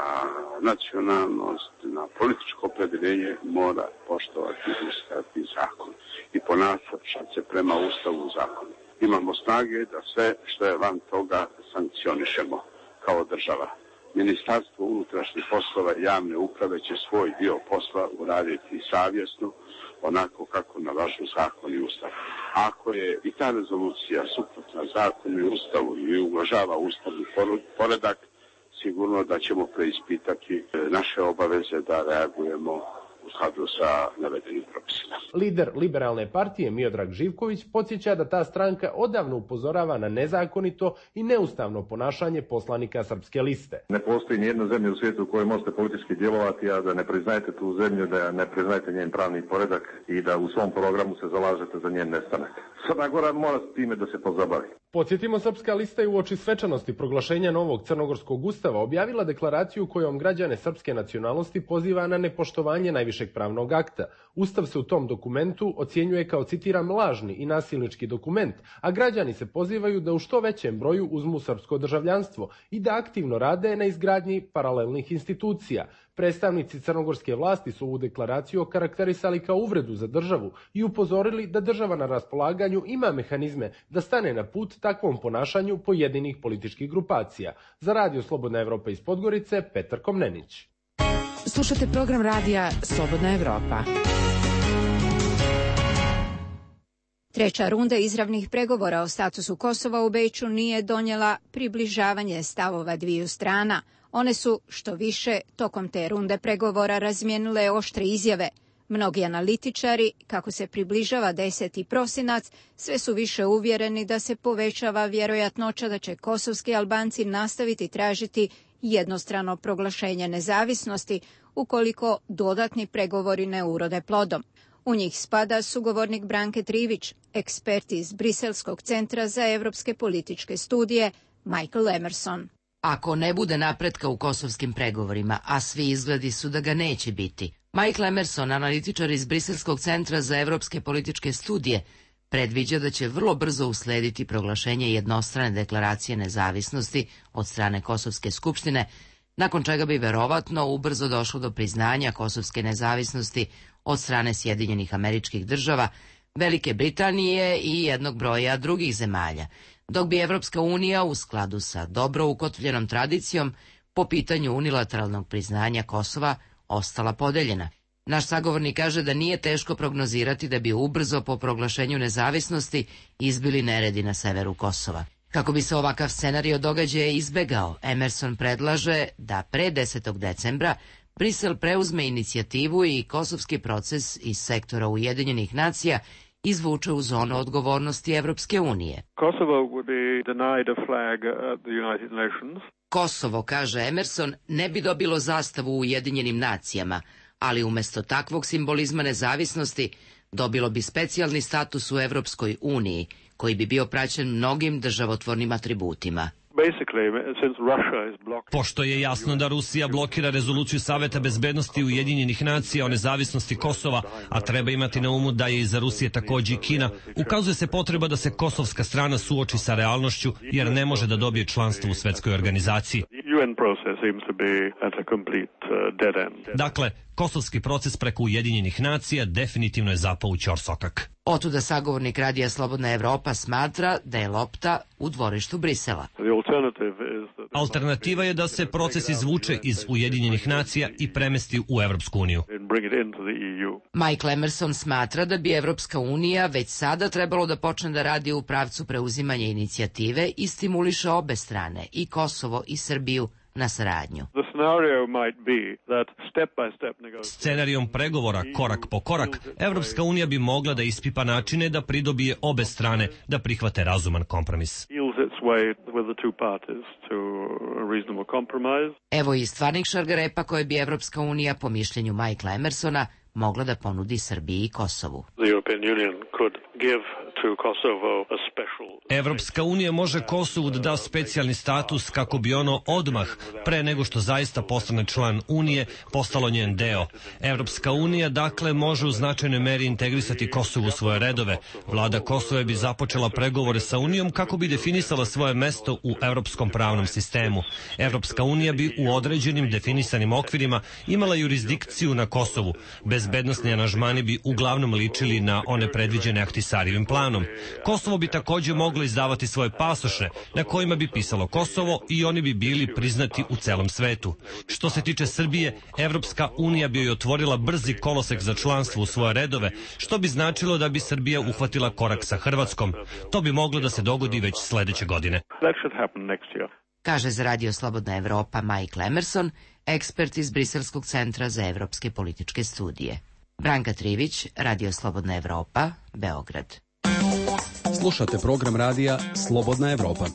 nacionalnost, na političko opredjeljenje, mora poštovati Ustav i zakon i ponašati se prema Ustavu i zakonu. Imamo snage da sve što je van toga sankcionišemo kao država. Ministarstvo unutrašnjih poslova i javne uprave će svoj dio posla uraditi savjesno, onako kako nalažu zakon i Ustav. Ako je i ta rezolucija suprotna zakonu i Ustavu i ugrožava ustavni poredak, sigurno da ćemo preispitati naše obaveze da reagujemo u skladu sa navedenim propisima. Lider Liberalne partije Miodrag Živković podsjeća da ta stranka odavno upozorava na nezakonito i neustavno ponašanje poslanika Srpske liste. Ne postoji nijedna zemlja u svijetu u kojoj možete politički djelovati, a da ne priznajete tu zemlju, da ne priznajete njen pravni poredak i da u svom programu se zalažete za njen nestanak. Crna Gora mora s time da se pozabavi. Podsjetimo, Srpska lista je uoči svečanosti proglašenja novog crnogorskog ustava objavila deklaraciju kojom građane srpske nacionalnosti poziva na nepoštovanje najvišeg pravnog akta. Ustav se u tom dokumentu ocjenjuje kao, citiram, lažni i nasilnički dokument, a građani se pozivaju da u što većem broju uzmu srpsko državljanstvo i da aktivno rade na izgradnji paralelnih institucija. Predstavnici crnogorske vlasti su ovu deklaraciju okarakterisali kao uvredu za državu i upozorili da država na raspolaganju ima mehanizme da stane na put takvom ponašanju pojedinih političkih grupacija. Za Radio Slobodna Evropa iz Podgorice, Petar Komnenić. Slušate program radija Slobodna Evropa. Treća runda izravnih pregovora o statusu Kosova u Beču nije donijela približavanje stavova dviju strana. One su, što više, tokom te runde pregovora razmijenile oštre izjave. Mnogi analitičari, kako se približava deseti prosinac, sve su više uvjereni da se povećava vjerojatnoća da će kosovski Albanci nastaviti tražiti jednostrano proglašenje nezavisnosti ukoliko dodatni pregovori ne urode plodom. U njih spada sugovornik Branke Trivić, ekspert iz Briselskog centra za evropske političke studije, Michael Emerson. Ako ne bude napretka u kosovskim pregovorima, a svi izgledi su da ga neće biti, Michael Emerson, analitičar iz Briselskog centra za evropske političke studije, predviđa da će vrlo brzo uslediti proglašenje jednostrane deklaracije nezavisnosti od strane Kosovske skupštine, nakon čega bi verovatno ubrzo došlo do priznanja kosovske nezavisnosti od strane Sjedinjenih Američkih Država, Velike Britanije i jednog broja drugih zemalja, dok bi Evropska unija u skladu sa dobro ukotvljenom tradicijom po pitanju unilateralnog priznanja Kosova ostala podeljena. Naš sagovornik kaže da nije teško prognozirati da bi ubrzo po proglašenju nezavisnosti izbili neredi na severu Kosova. Kako bi se ovakav scenario događaja izbegao, Emerson predlaže da pre desetog decembra Brisel preuzme inicijativu i kosovski proces iz sektora Ujedinjenih nacija izvuče u zonu odgovornosti Evropske unije. Kosovo, kaže Emerson, ne bi dobilo zastavu u Ujedinjenim nacijama, ali umjesto takvog simbolizma nezavisnosti dobilo bi specijalni status u Evropskoj uniji, koji bi bio praćen mnogim državotvornim atributima. Pošto je jasno da Rusija blokira rezoluciju Saveta bezbednosti Ujedinjenih nacija o nezavisnosti Kosova, a treba imati na umu da je iza Rusije takođe i Kina, ukazuje se potreba da se kosovska strana suoči sa realnošću, jer ne može da dobije članstvo u svetskoj organizaciji. Dakle, kosovski proces preko Ujedinjenih nacija definitivno je zapao u ćorsokak. Otuda sagovornik Radija Slobodna Evropa smatra da je lopta u dvorištu Brisela. Alternativa je da se proces izvuče iz Ujedinjenih nacija i premesti u Evropsku uniju. Michael Emerson smatra da bi Evropska unija već sada trebalo da počne da radi u pravcu preuzimanja inicijative i stimuliše obe strane, i Kosovo i Srbiju, na saradnju. Scenarijom pregovora korak po korak, Evropska unija bi mogla da ispipa načine da pridobije obe strane da prihvate razuman kompromis. Evo i stvarnih šargarepa koje bi Evropska unija, po mišljenju Michaela Emersona, mogla da ponudi Srbiji i Kosovu. Evropska unija može Kosovu da da specijalni status kako bi ono odmah, pre nego što zaista postane član Unije, postalo njen deo. Evropska unija dakle može u značajnoj meri integrisati Kosovo u svoje redove. Vlada Kosova bi započela pregovore sa Unijom kako bi definisala svoje mesto u evropskom pravnom sistemu. Evropska unija bi u određenim definisanim okvirima imala jurisdikciju na Kosovu. Bezbednosni aranžmani bi uglavnom ličili na one predviđene Ahtisarijevim planom. Kosovo bi također moglo izdavati svoje pasoše na kojima bi pisalo Kosovo i oni bi bili priznati u celom svetu. Što se tiče Srbije, Evropska unija bi joj otvorila brzi kolosek za članstvo u svoje redove, što bi značilo da bi Srbija uhvatila korak sa Hrvatskom. To bi moglo da se dogodi već sledeće godine. Kaže za Radio Slobodna Evropa Mike Emerson, ekspert iz Briselskog centra za evropske političke studije. Branka Trivić, Radio Slobodna Evropa, Beograd. Slušate program radija Slobodna Evropa.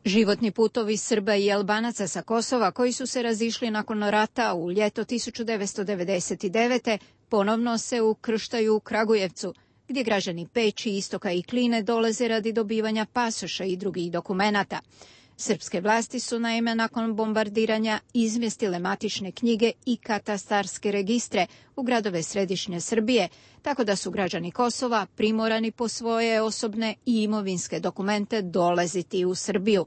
Životni putovi Srba i Albanaca sa Kosova koji su se razišli nakon rata u ljeto tisuću devetsto devedeset devete. ponovno se ukrštaju u Kragujevcu, gdje građani Peći, Istoka i Kline dolaze radi dobivanja pasoša i drugih dokumenata. Srpske vlasti su naime nakon bombardiranja izmjestile matične knjige i katastarske registre u gradove središnje Srbije, tako da su građani Kosova primorani po svoje osobne i imovinske dokumente dolaziti u Srbiju.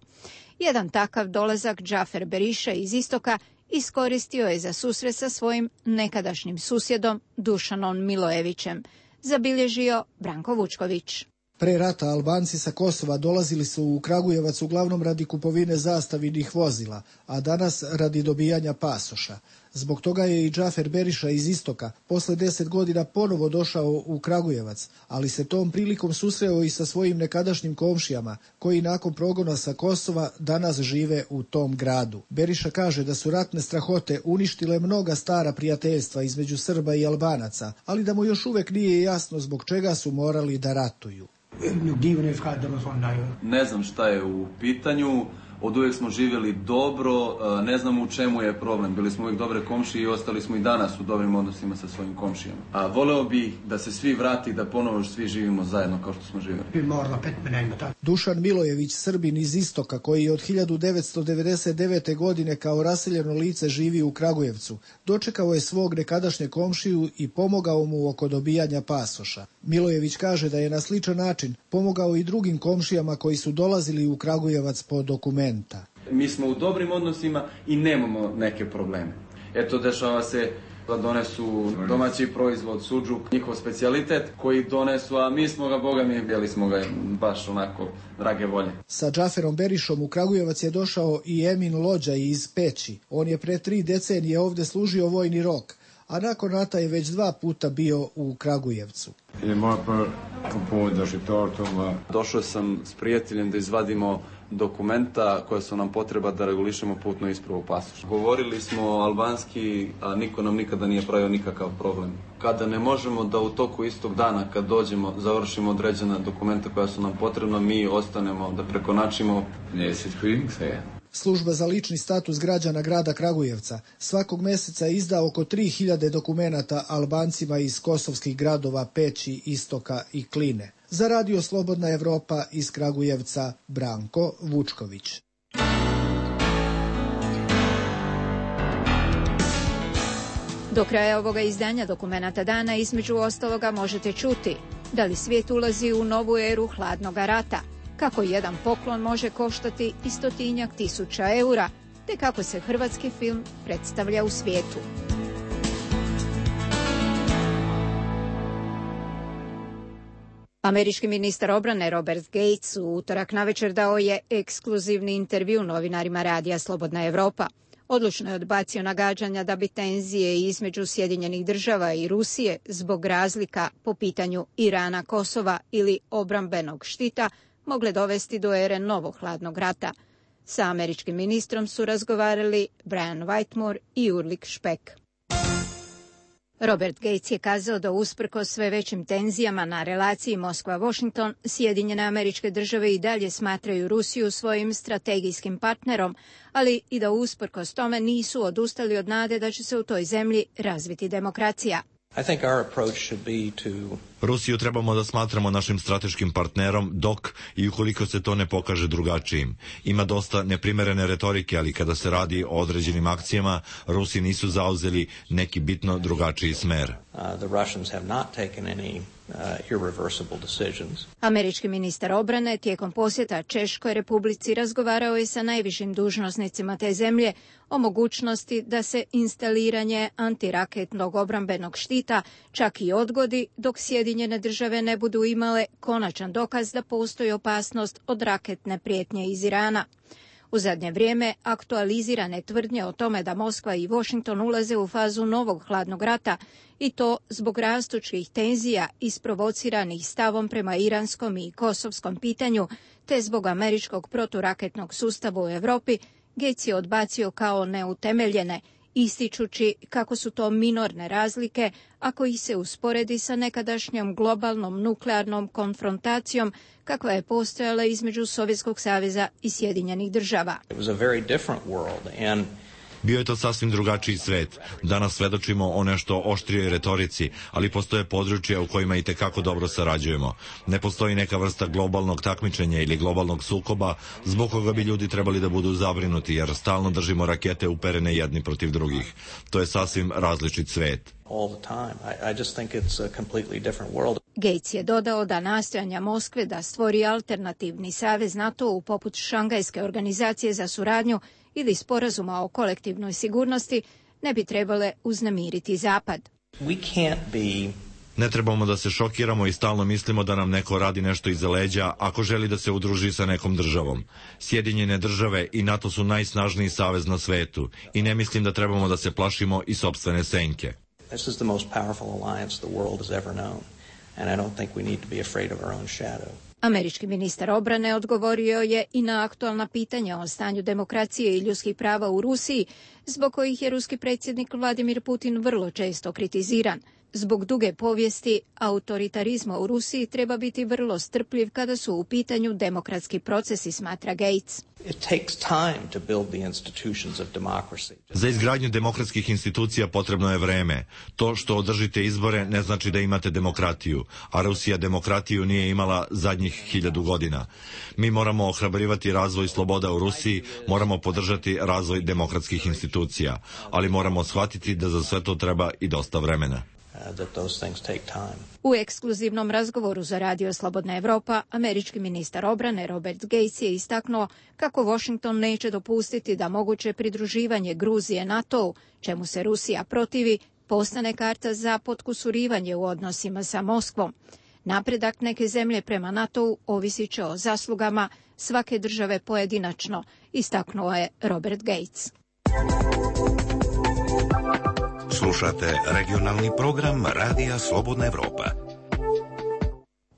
Jedan takav dolazak Džafer Beriša iz Istoka iskoristio je za susret sa svojim nekadašnjim susjedom Dušanom Milojevićem, zabilježio Branko Vučković. Pre rata Albanci sa Kosova dolazili su u Kragujevac uglavnom radi kupovine zastavinih vozila, a danas radi dobijanja pasoša. Zbog toga je i Džafer Beriša iz Istoka posle deset godina ponovo došao u Kragujevac, ali se tom prilikom susreo i sa svojim nekadašnjim komšijama, koji nakon progona sa Kosova danas žive u tom gradu. Beriša kaže da su ratne strahote uništile mnoga stara prijateljstva između Srba i Albanaca, ali da mu još uvek nije jasno zbog čega su morali da ratuju. Ne znam šta je u pitanju, od uvijek smo živjeli dobro, ne znam u čemu je problem. Bili smo uvijek dobre komšije i ostali smo i danas u dobrim odnosima sa svojim komšijama. A voleo bih da se svi vrati, da ponovo svi živimo zajedno kao što smo živjeli. Dušan Milojević, Srbin iz Istoka, koji od hiljadu devetsto devedeset devete. godine kao raseljeno lice živi u Kragujevcu, dočekao je svog nekadašnje komšiju i pomogao mu oko dobijanja pasoša. Milojević kaže da je na sličan način pomogao i drugim komšijama koji su dolazili u Kragujevac po dokumenta. Mi smo u dobrim odnosima i nemamo neke probleme. Eto, dešava se da donesu domaći proizvod, sudžuk, njihov specijalitet koji donesu, a mi smo ga, boga mi, bili smo ga baš onako drage volje. Sa Džaferom Berišom u Kragujevac je došao i Emin Lođa iz Peći. On je pre tri decenije ovde služio vojni rok, a nakon rata je već dva puta bio u Kragujevcu. Došao sam s prijateljem da izvadimo dokumenta koja su nam potreba da regulišemo putnu ispravu pasoša. Govorili smo albanski, a niko nam nikada nije pravio nikakav problem. Kada ne možemo da u toku istog dana, kad dođemo, završimo određena dokumenta koja su nam potrebna, mi ostanemo da prekonačimo. Služba za lični status građana grada Kragujevca svakog meseca izda oko tri hiljade dokumenata Albancima iz kosovskih gradova Peći, Istoka i Kline. Za Radio Slobodna Evropa iz Kragujevca, Branko Vučković. Do kraja ovoga izdanja Dokumenata dana između ostaloga možete čuti da li svijet ulazi u novu eru hladnog rata, kako jedan poklon može koštati i stotinjak tisuća eura, te kako se hrvatski film predstavlja u svijetu. Američki ministar obrane Robert Gates u utorak navečer dao je ekskluzivni intervju novinarima Radija Slobodna Evropa. Odlučno je odbacio nagađanja da bi tenzije između Sjedinjenih država i Rusije zbog razlika po pitanju Irana, Kosova ili obrambenog štita mogle dovesti do ere novog hladnog rata. Sa američkim ministrom su razgovarali Brian Whitmore i Ulrich Speck. Robert Gates je kazao da usprkos sve većim tenzijama na relaciji Moskva-Washington, Sjedinjene Američke Države i dalje smatraju Rusiju svojim strategijskim partnerom, ali i da usprkos tome nisu odustali od nade da će se u toj zemlji razviti demokracija. I think our approach should be to Rusiju trebamo da smatramo našim strateškim partnerom dok i ukoliko se to ne pokaže drugačijim. Ima dosta neprimerene retorike, ali kada se radi o određenim akcijama, Rusi nisu zauzeli neki bitno drugačiji smer. uh, the Russians have not taken any uh, irreversible decisions. Američki ministar obrane tijekom posjeta Češkoj Republici razgovarao je sa najvišim dužnosnicima te zemlje o mogućnosti da se instaliranje antiraketnog obrambenog štita čak i odgodi dok Sjedinjene države ne budu imale konačan dokaz da postoji opasnost od raketne prijetnje iz Irana. U zadnje vrijeme aktualizirane tvrdnje o tome da Moskva i Washington ulaze u fazu novog hladnog rata i to zbog rastućih tenzija isprovociranih stavom prema iranskom i kosovskom pitanju te zbog američkog proturaketnog sustava u Europi, Gates je odbacio kao neutemeljene, ističući kako su to minorne razlike ako ih se usporedi sa nekadašnjom globalnom nuklearnom konfrontacijom kakva je postojala između Sovjetskog saveza i Sjedinjenih država. It was a very different world and Bio je to sasvim drugačiji svet. Danas svedočimo o nešto oštrijoj retorici, ali postoje područja u kojima i tekako dobro sarađujemo. Ne postoji neka vrsta globalnog takmičenja ili globalnog sukoba zbog koga bi ljudi trebali da budu zabrinuti, jer stalno držimo rakete uperene jedni protiv drugih. To je sasvim različit svet. all the time. I, I just think it's a completely different world. Gates je dodao da nastojanja Moskve da stvori alternativni savez NATO-u poput Šangajske organizacije za suradnju ili sporazuma o kolektivnoj sigurnosti ne bi trebale uznemiriti Zapad. We can't be Ne trebamo da se šokiramo i stalno mislimo da nam neko radi nešto iza leđa ako želi da se udruži sa nekom državom. Sjedinjene države i NATO su najsnažniji savez na svetu i ne mislim da trebamo da se plašimo i sopstvene senke. This is the most powerful alliance the world has ever known, and I don't think we need to be afraid of our own shadow. Američki ministar obrane odgovorio je i na aktualna pitanja o stanju demokracije i ljudskih prava u Rusiji, zbog kojih je ruski predsjednik Vladimir Putin vrlo često kritiziran. Zbog duge povijesti autoritarizma u Rusiji treba biti vrlo strpljiv kada su u pitanju demokratski procesi, smatra Gates. It takes time to build the institutions of democracy. Za izgradnju demokratskih institucija potrebno je vreme. To što održite izbore ne znači da imate demokratiju, a Rusija demokratiju nije imala zadnjih hiljadu godina. Mi moramo ohrabrivati razvoj sloboda u Rusiji, moramo podržati razvoj demokratskih institucija, ali moramo shvatiti da za sve to treba i dosta vremena. U ekskluzivnom razgovoru za Radio Slobodna Evropa, američki ministar obrane Robert Gates je istaknuo kako Washington neće dopustiti da moguće pridruživanje Gruzije NATO-u, čemu se Rusija protivi, postane karta za potkusurivanje u odnosima sa Moskvom. Napredak neke zemlje prema NATO-u ovisit će o zaslugama svake države pojedinačno, istaknuo je Robert Gates. Slušate regionalni program Radija Slobodna Evropa.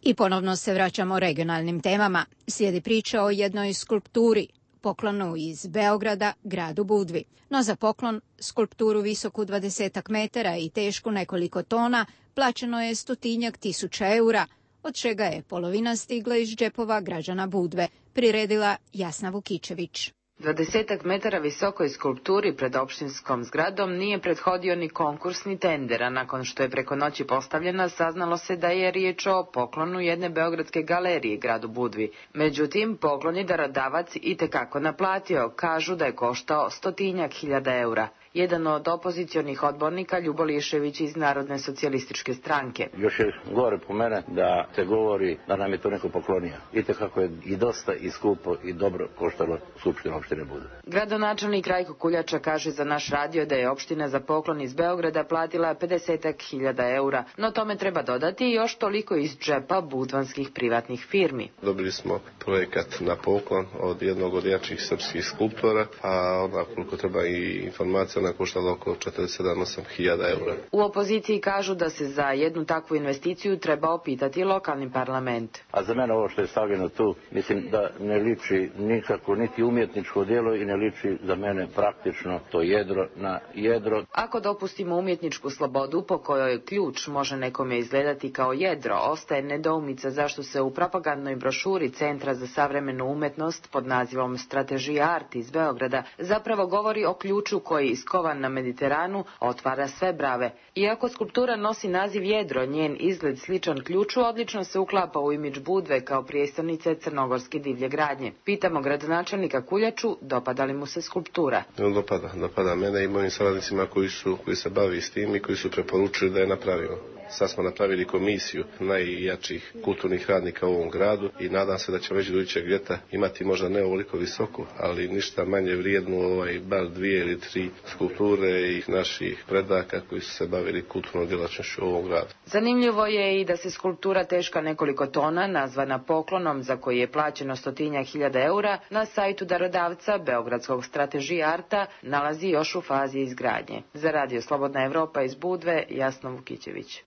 I ponovno se vraćamo regionalnim temama. Slijedi priča o jednoj skulpturi, poklonu iz Beograda, gradu Budvi. No za poklon, skulpturu visoku dvadesetak metara i tešku nekoliko tona, plaćeno je stotinjak tisuća eura, od čega je polovina stigla iz džepova građana Budve, priredila Jasna Vukičević. Dvadesetak metara visokoj skulpturi pred opštinskom zgradom nije prethodio ni konkurs ni tender, a nakon što je preko noći postavljena, saznalo se da je riječ o poklonu jedne beogradske galerije gradu Budvi. Međutim, poklon je darodavac itekako naplatio, kažu da je koštao stotinjak hiljada eura. Jedan od opozicionih odbornika, Ljubo Lišević iz Narodne socijalističke stranke. Još je gore po mene da se govori da nam je to neko poklonio. Itekako je i dosta i skupo i dobro koštalo Skupštinu opštine Budve. Gradonačelnik Rajko Kuljača kaže za naš radio da je opština za poklon iz Beograda platila pedesetak hiljada eura, no tome treba dodati još toliko iz džepa budvanskih privatnih firmi. Dobili smo projekat na poklon od jednog od jačih srpskih skulptora, a onda koliko treba i informacija na koštalo oko četrdeset sedam do osam hiljada eura. U opoziciji kažu da se za jednu takvu investiciju treba opitati lokalni parlament. A za mene ovo što je stavljeno tu, mislim da ne liči nikako niti umjetničko djelo i ne liči za mene praktično to jedro na jedro. Ako dopustimo umjetničku slobodu po kojoj ključ može nekome izgledati kao jedro, ostaje nedoumica zašto se u propagandnoj brošuri Centra za savremenu umetnost pod nazivom Strategija Art iz Beograda zapravo govori o ključu koji iz skovan na Mediteranu, otvara sve brave. Iako skulptura nosi naziv Jedro, njen izgled sličan ključu odlično se uklapa u imidž Budve kao prijestolnice crnogorske divlje gradnje. Pitamo gradonačelnika Kuljaču, dopada li mu se skulptura? No, dopada, dopada mene i mojim saradnicima koji su koji se bavi s tim i koji su preporučili da je napravimo. Sad smo napravili komisiju najjačih kulturnih radnika u ovom gradu i nadam se da ćemo već do idućeg ljeta imati možda ne ovoliko visoku, ali ništa manje vrijednu, ovaj, bar dvije ili tri skulpture i naših predaka koji su se bavili kulturnom djelatnošću u ovom gradu. Zanimljivo je i da se skulptura teška nekoliko tona, nazvana Poklonom, za koji je plaćeno stotinjak hiljada eura, na sajtu darodavca Beogradskog Strategy Arta nalazi još u fazi izgradnje. Za Radio Slobodna Evropa iz Budve, Jasna Vukićević.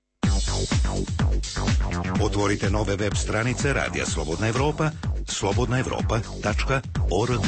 Otvorite nove web stranice Radija Slobodna Evropa, slobodna evropa tačka org.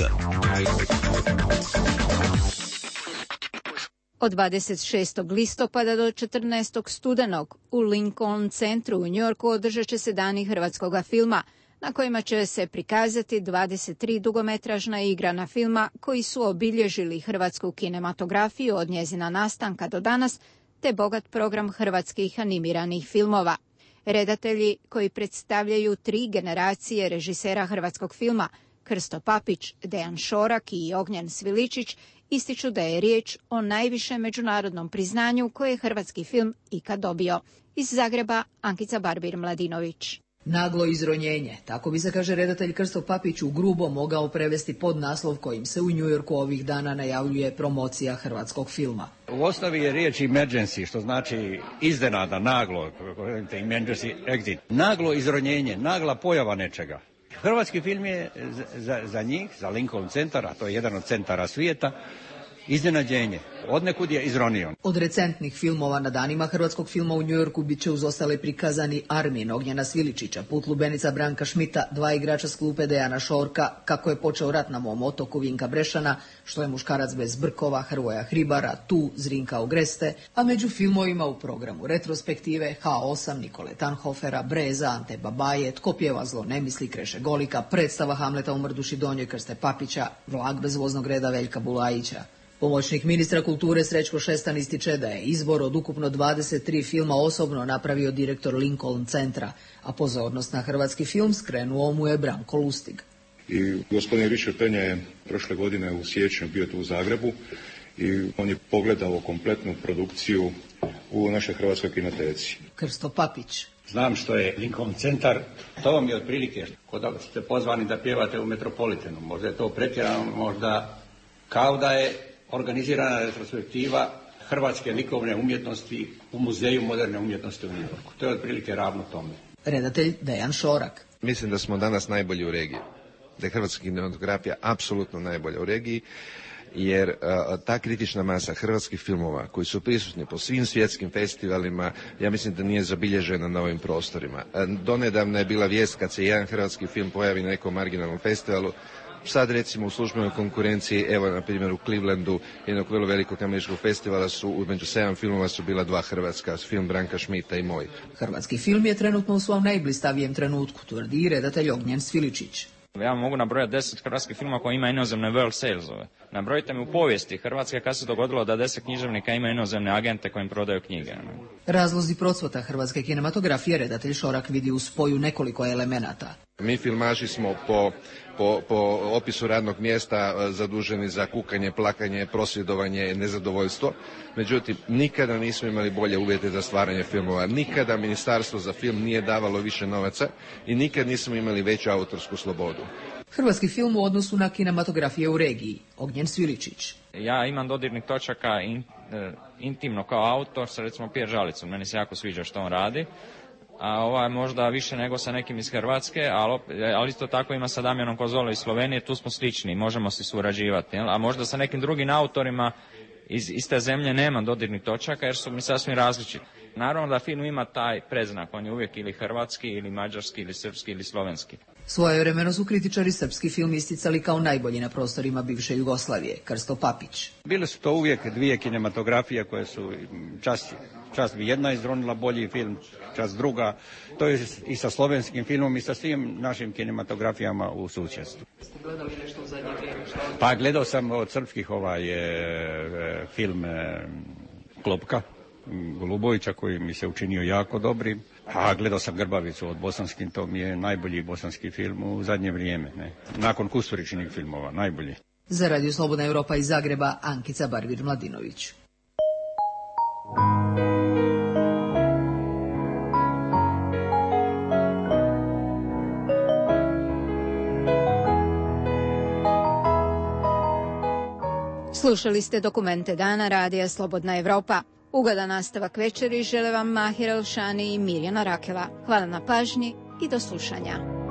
Od dvadeset šestog listopada do četrnaestog studenog u Lincoln centru u Njujorku održat će se dani hrvatskog filma, na kojima će se prikazati dvadeset tri dugometražna i igrana filma koji su obilježili hrvatsku kinematografiju od njezina nastanka do danas, te bogat program hrvatskih animiranih filmova. Redatelji koji predstavljaju tri generacije režisera hrvatskog filma, Krsto Papić, Dejan Šorak i Ognjen Sviličić, ističu da je riječ o najvišem međunarodnom priznanju koje je hrvatski film ikad dobio. Iz Zagreba, Ankica Barbir-Mladinović. Naglo izronjenje, tako bi se, kaže redatelj Krsto Papić, u grubo mogao prevesti pod naslov kojim se u Njujorku ovih dana najavljuje promocija hrvatskog filma. U osnovi je riječ emergency, što znači iznenada, naglo, emergency exit. Naglo izronjenje, nagla pojava nečega. Hrvatski film je za, za njih, za Lincoln centar, a to je jedan od centara svijeta, iznenađenje. Odnekud je izronio. Od recentnih filmova na danima hrvatskog filma u Njujorku bit će uz ostale prikazani Armin Ognjena Sviličića, Put lubenica Branka Šmita, Dva igrača s klupe Dejana Šorka, Kako je počeo rat na mom otoku Vinka Brešana, Što je muškarac bez brkova Hrvoja Hribara, Tu Zrinka Ogreste, a među filmovima u programu retrospektive H osam Nikole Tanhofera, Breza Ante Babaje, Tko pjeva zlo ne misli Kreše Golika, predstava Hamleta u Mrduši Donjoj Krste Papića, Vlak bez voznog reda Veljka Bulajića. Pomoćnik ministra kulture Srećko Šestan ističe da je izbor od ukupno dvadeset tri filma osobno napravio direktor Lincoln centra, a pozornost na hrvatski film skrenuo mu je Branko Lustig. I gospodin Richard Penja je prošle godine u siječnju bio tu u Zagrebu i on je pogledao kompletnu produkciju u našoj hrvatskoj kinoteci. Krsto Papić. Znam što je Lincoln centar, to vam je otprilike kod da ste pozvani da pjevate u Metropolitanu. Možda je to pretjerano, možda kao da je organizirana retrospektiva hrvatske likovne umjetnosti u Muzeju moderne umjetnosti u Njujorku. To je otprilike ravno tome. Redatelj Dejan Šorak. Mislim da smo danas najbolji u regiji. Da je hrvatska kinematografija apsolutno najbolja u regiji, jer a, ta kritična masa hrvatskih filmova koji su prisutni po svim svjetskim festivalima, ja mislim da nije zabilježena na ovim prostorima. A, donedavna je bila vijest kad se jedan hrvatski film pojavi na nekom marginalnom festivalu. Sad recimo u službenoj konkurenciji, evo na primjer u Clevelandu, jednog vrlo velikog američkog festivala su, među sedam filmova su bila dva hrvatska, film Branka Šmita i moj. Hrvatski film je trenutno u svom najblistavijem trenutku, tvrdi redatelj Ognjen Sviličić. Ja mogu nabrojati deset hrvatskih filma koji ima inozemne world salesove. Nabrojite mi u povijesti Hrvatske kad se dogodilo da deset književnika ima inozemne agente kojim prodaju knjige. Razlozi procvata hrvatske kinematografije redatelj Šorak vidi u spoju nekoliko elemenata. Mi filmaši smo po, po, po opisu radnog mjesta zaduženi za kukanje, plakanje, prosvjedovanje, nezadovoljstvo. Međutim, nikada nismo imali bolje uvjete za stvaranje filmova. Nikada Ministarstvo za film nije davalo više novaca i nikad nismo imali veću autorsku slobodu. Hrvatski film u odnosu na kinematografije u regiji. Ognjen Sviličić. Ja imam dodirnih točaka in, e, intimno kao autor sa recimo Pjer Žalicom. Meni se jako sviđa što on radi. A ovaj možda više nego sa nekim iz Hrvatske, ali, ali isto tako ima sa Damjanom Kozolo iz Slovenije, tu smo slični, možemo se surađivati. Jel? A možda sa nekim drugim autorima iz iste zemlje nema dodirnih točaka jer su mi sasvim različiti. Naravno da film ima taj predznak, on je uvijek ili hrvatski, ili mađarski, ili srpski, ili slovenski. Svojevremeno su kritičari srpski film isticali kao najbolji na prostorima bivše Jugoslavije. Krsto Papić. Bile su to uvijek dvije kinematografije koje su čast, čast bi jedna izronila bolji film, čast druga. To je i sa slovenskim filmom i sa svim našim kinematografijama u susjedstvu. Ste gledali nešto u zadnje vrijeme? Pa gledao sam od srpskih ovaj e, film e, Klopka Golubovića koji mi se učinio jako dobrim. A gledao sam Grbavicu od bosanskim, to mi je najbolji bosanski film u zadnje vrijeme. Ne? Nakon Kusturičinih filmova, najbolji. Za Radio Slobodna Evropa iz Zagreba, Ankica Barvir-Mladinović. Slušali ste dokumente dana Radija Slobodna Evropa. Ugodan nastavak večeri žele vam Mahir Elšani i Mirjana Rakela. Hvala na pažnji i do slušanja.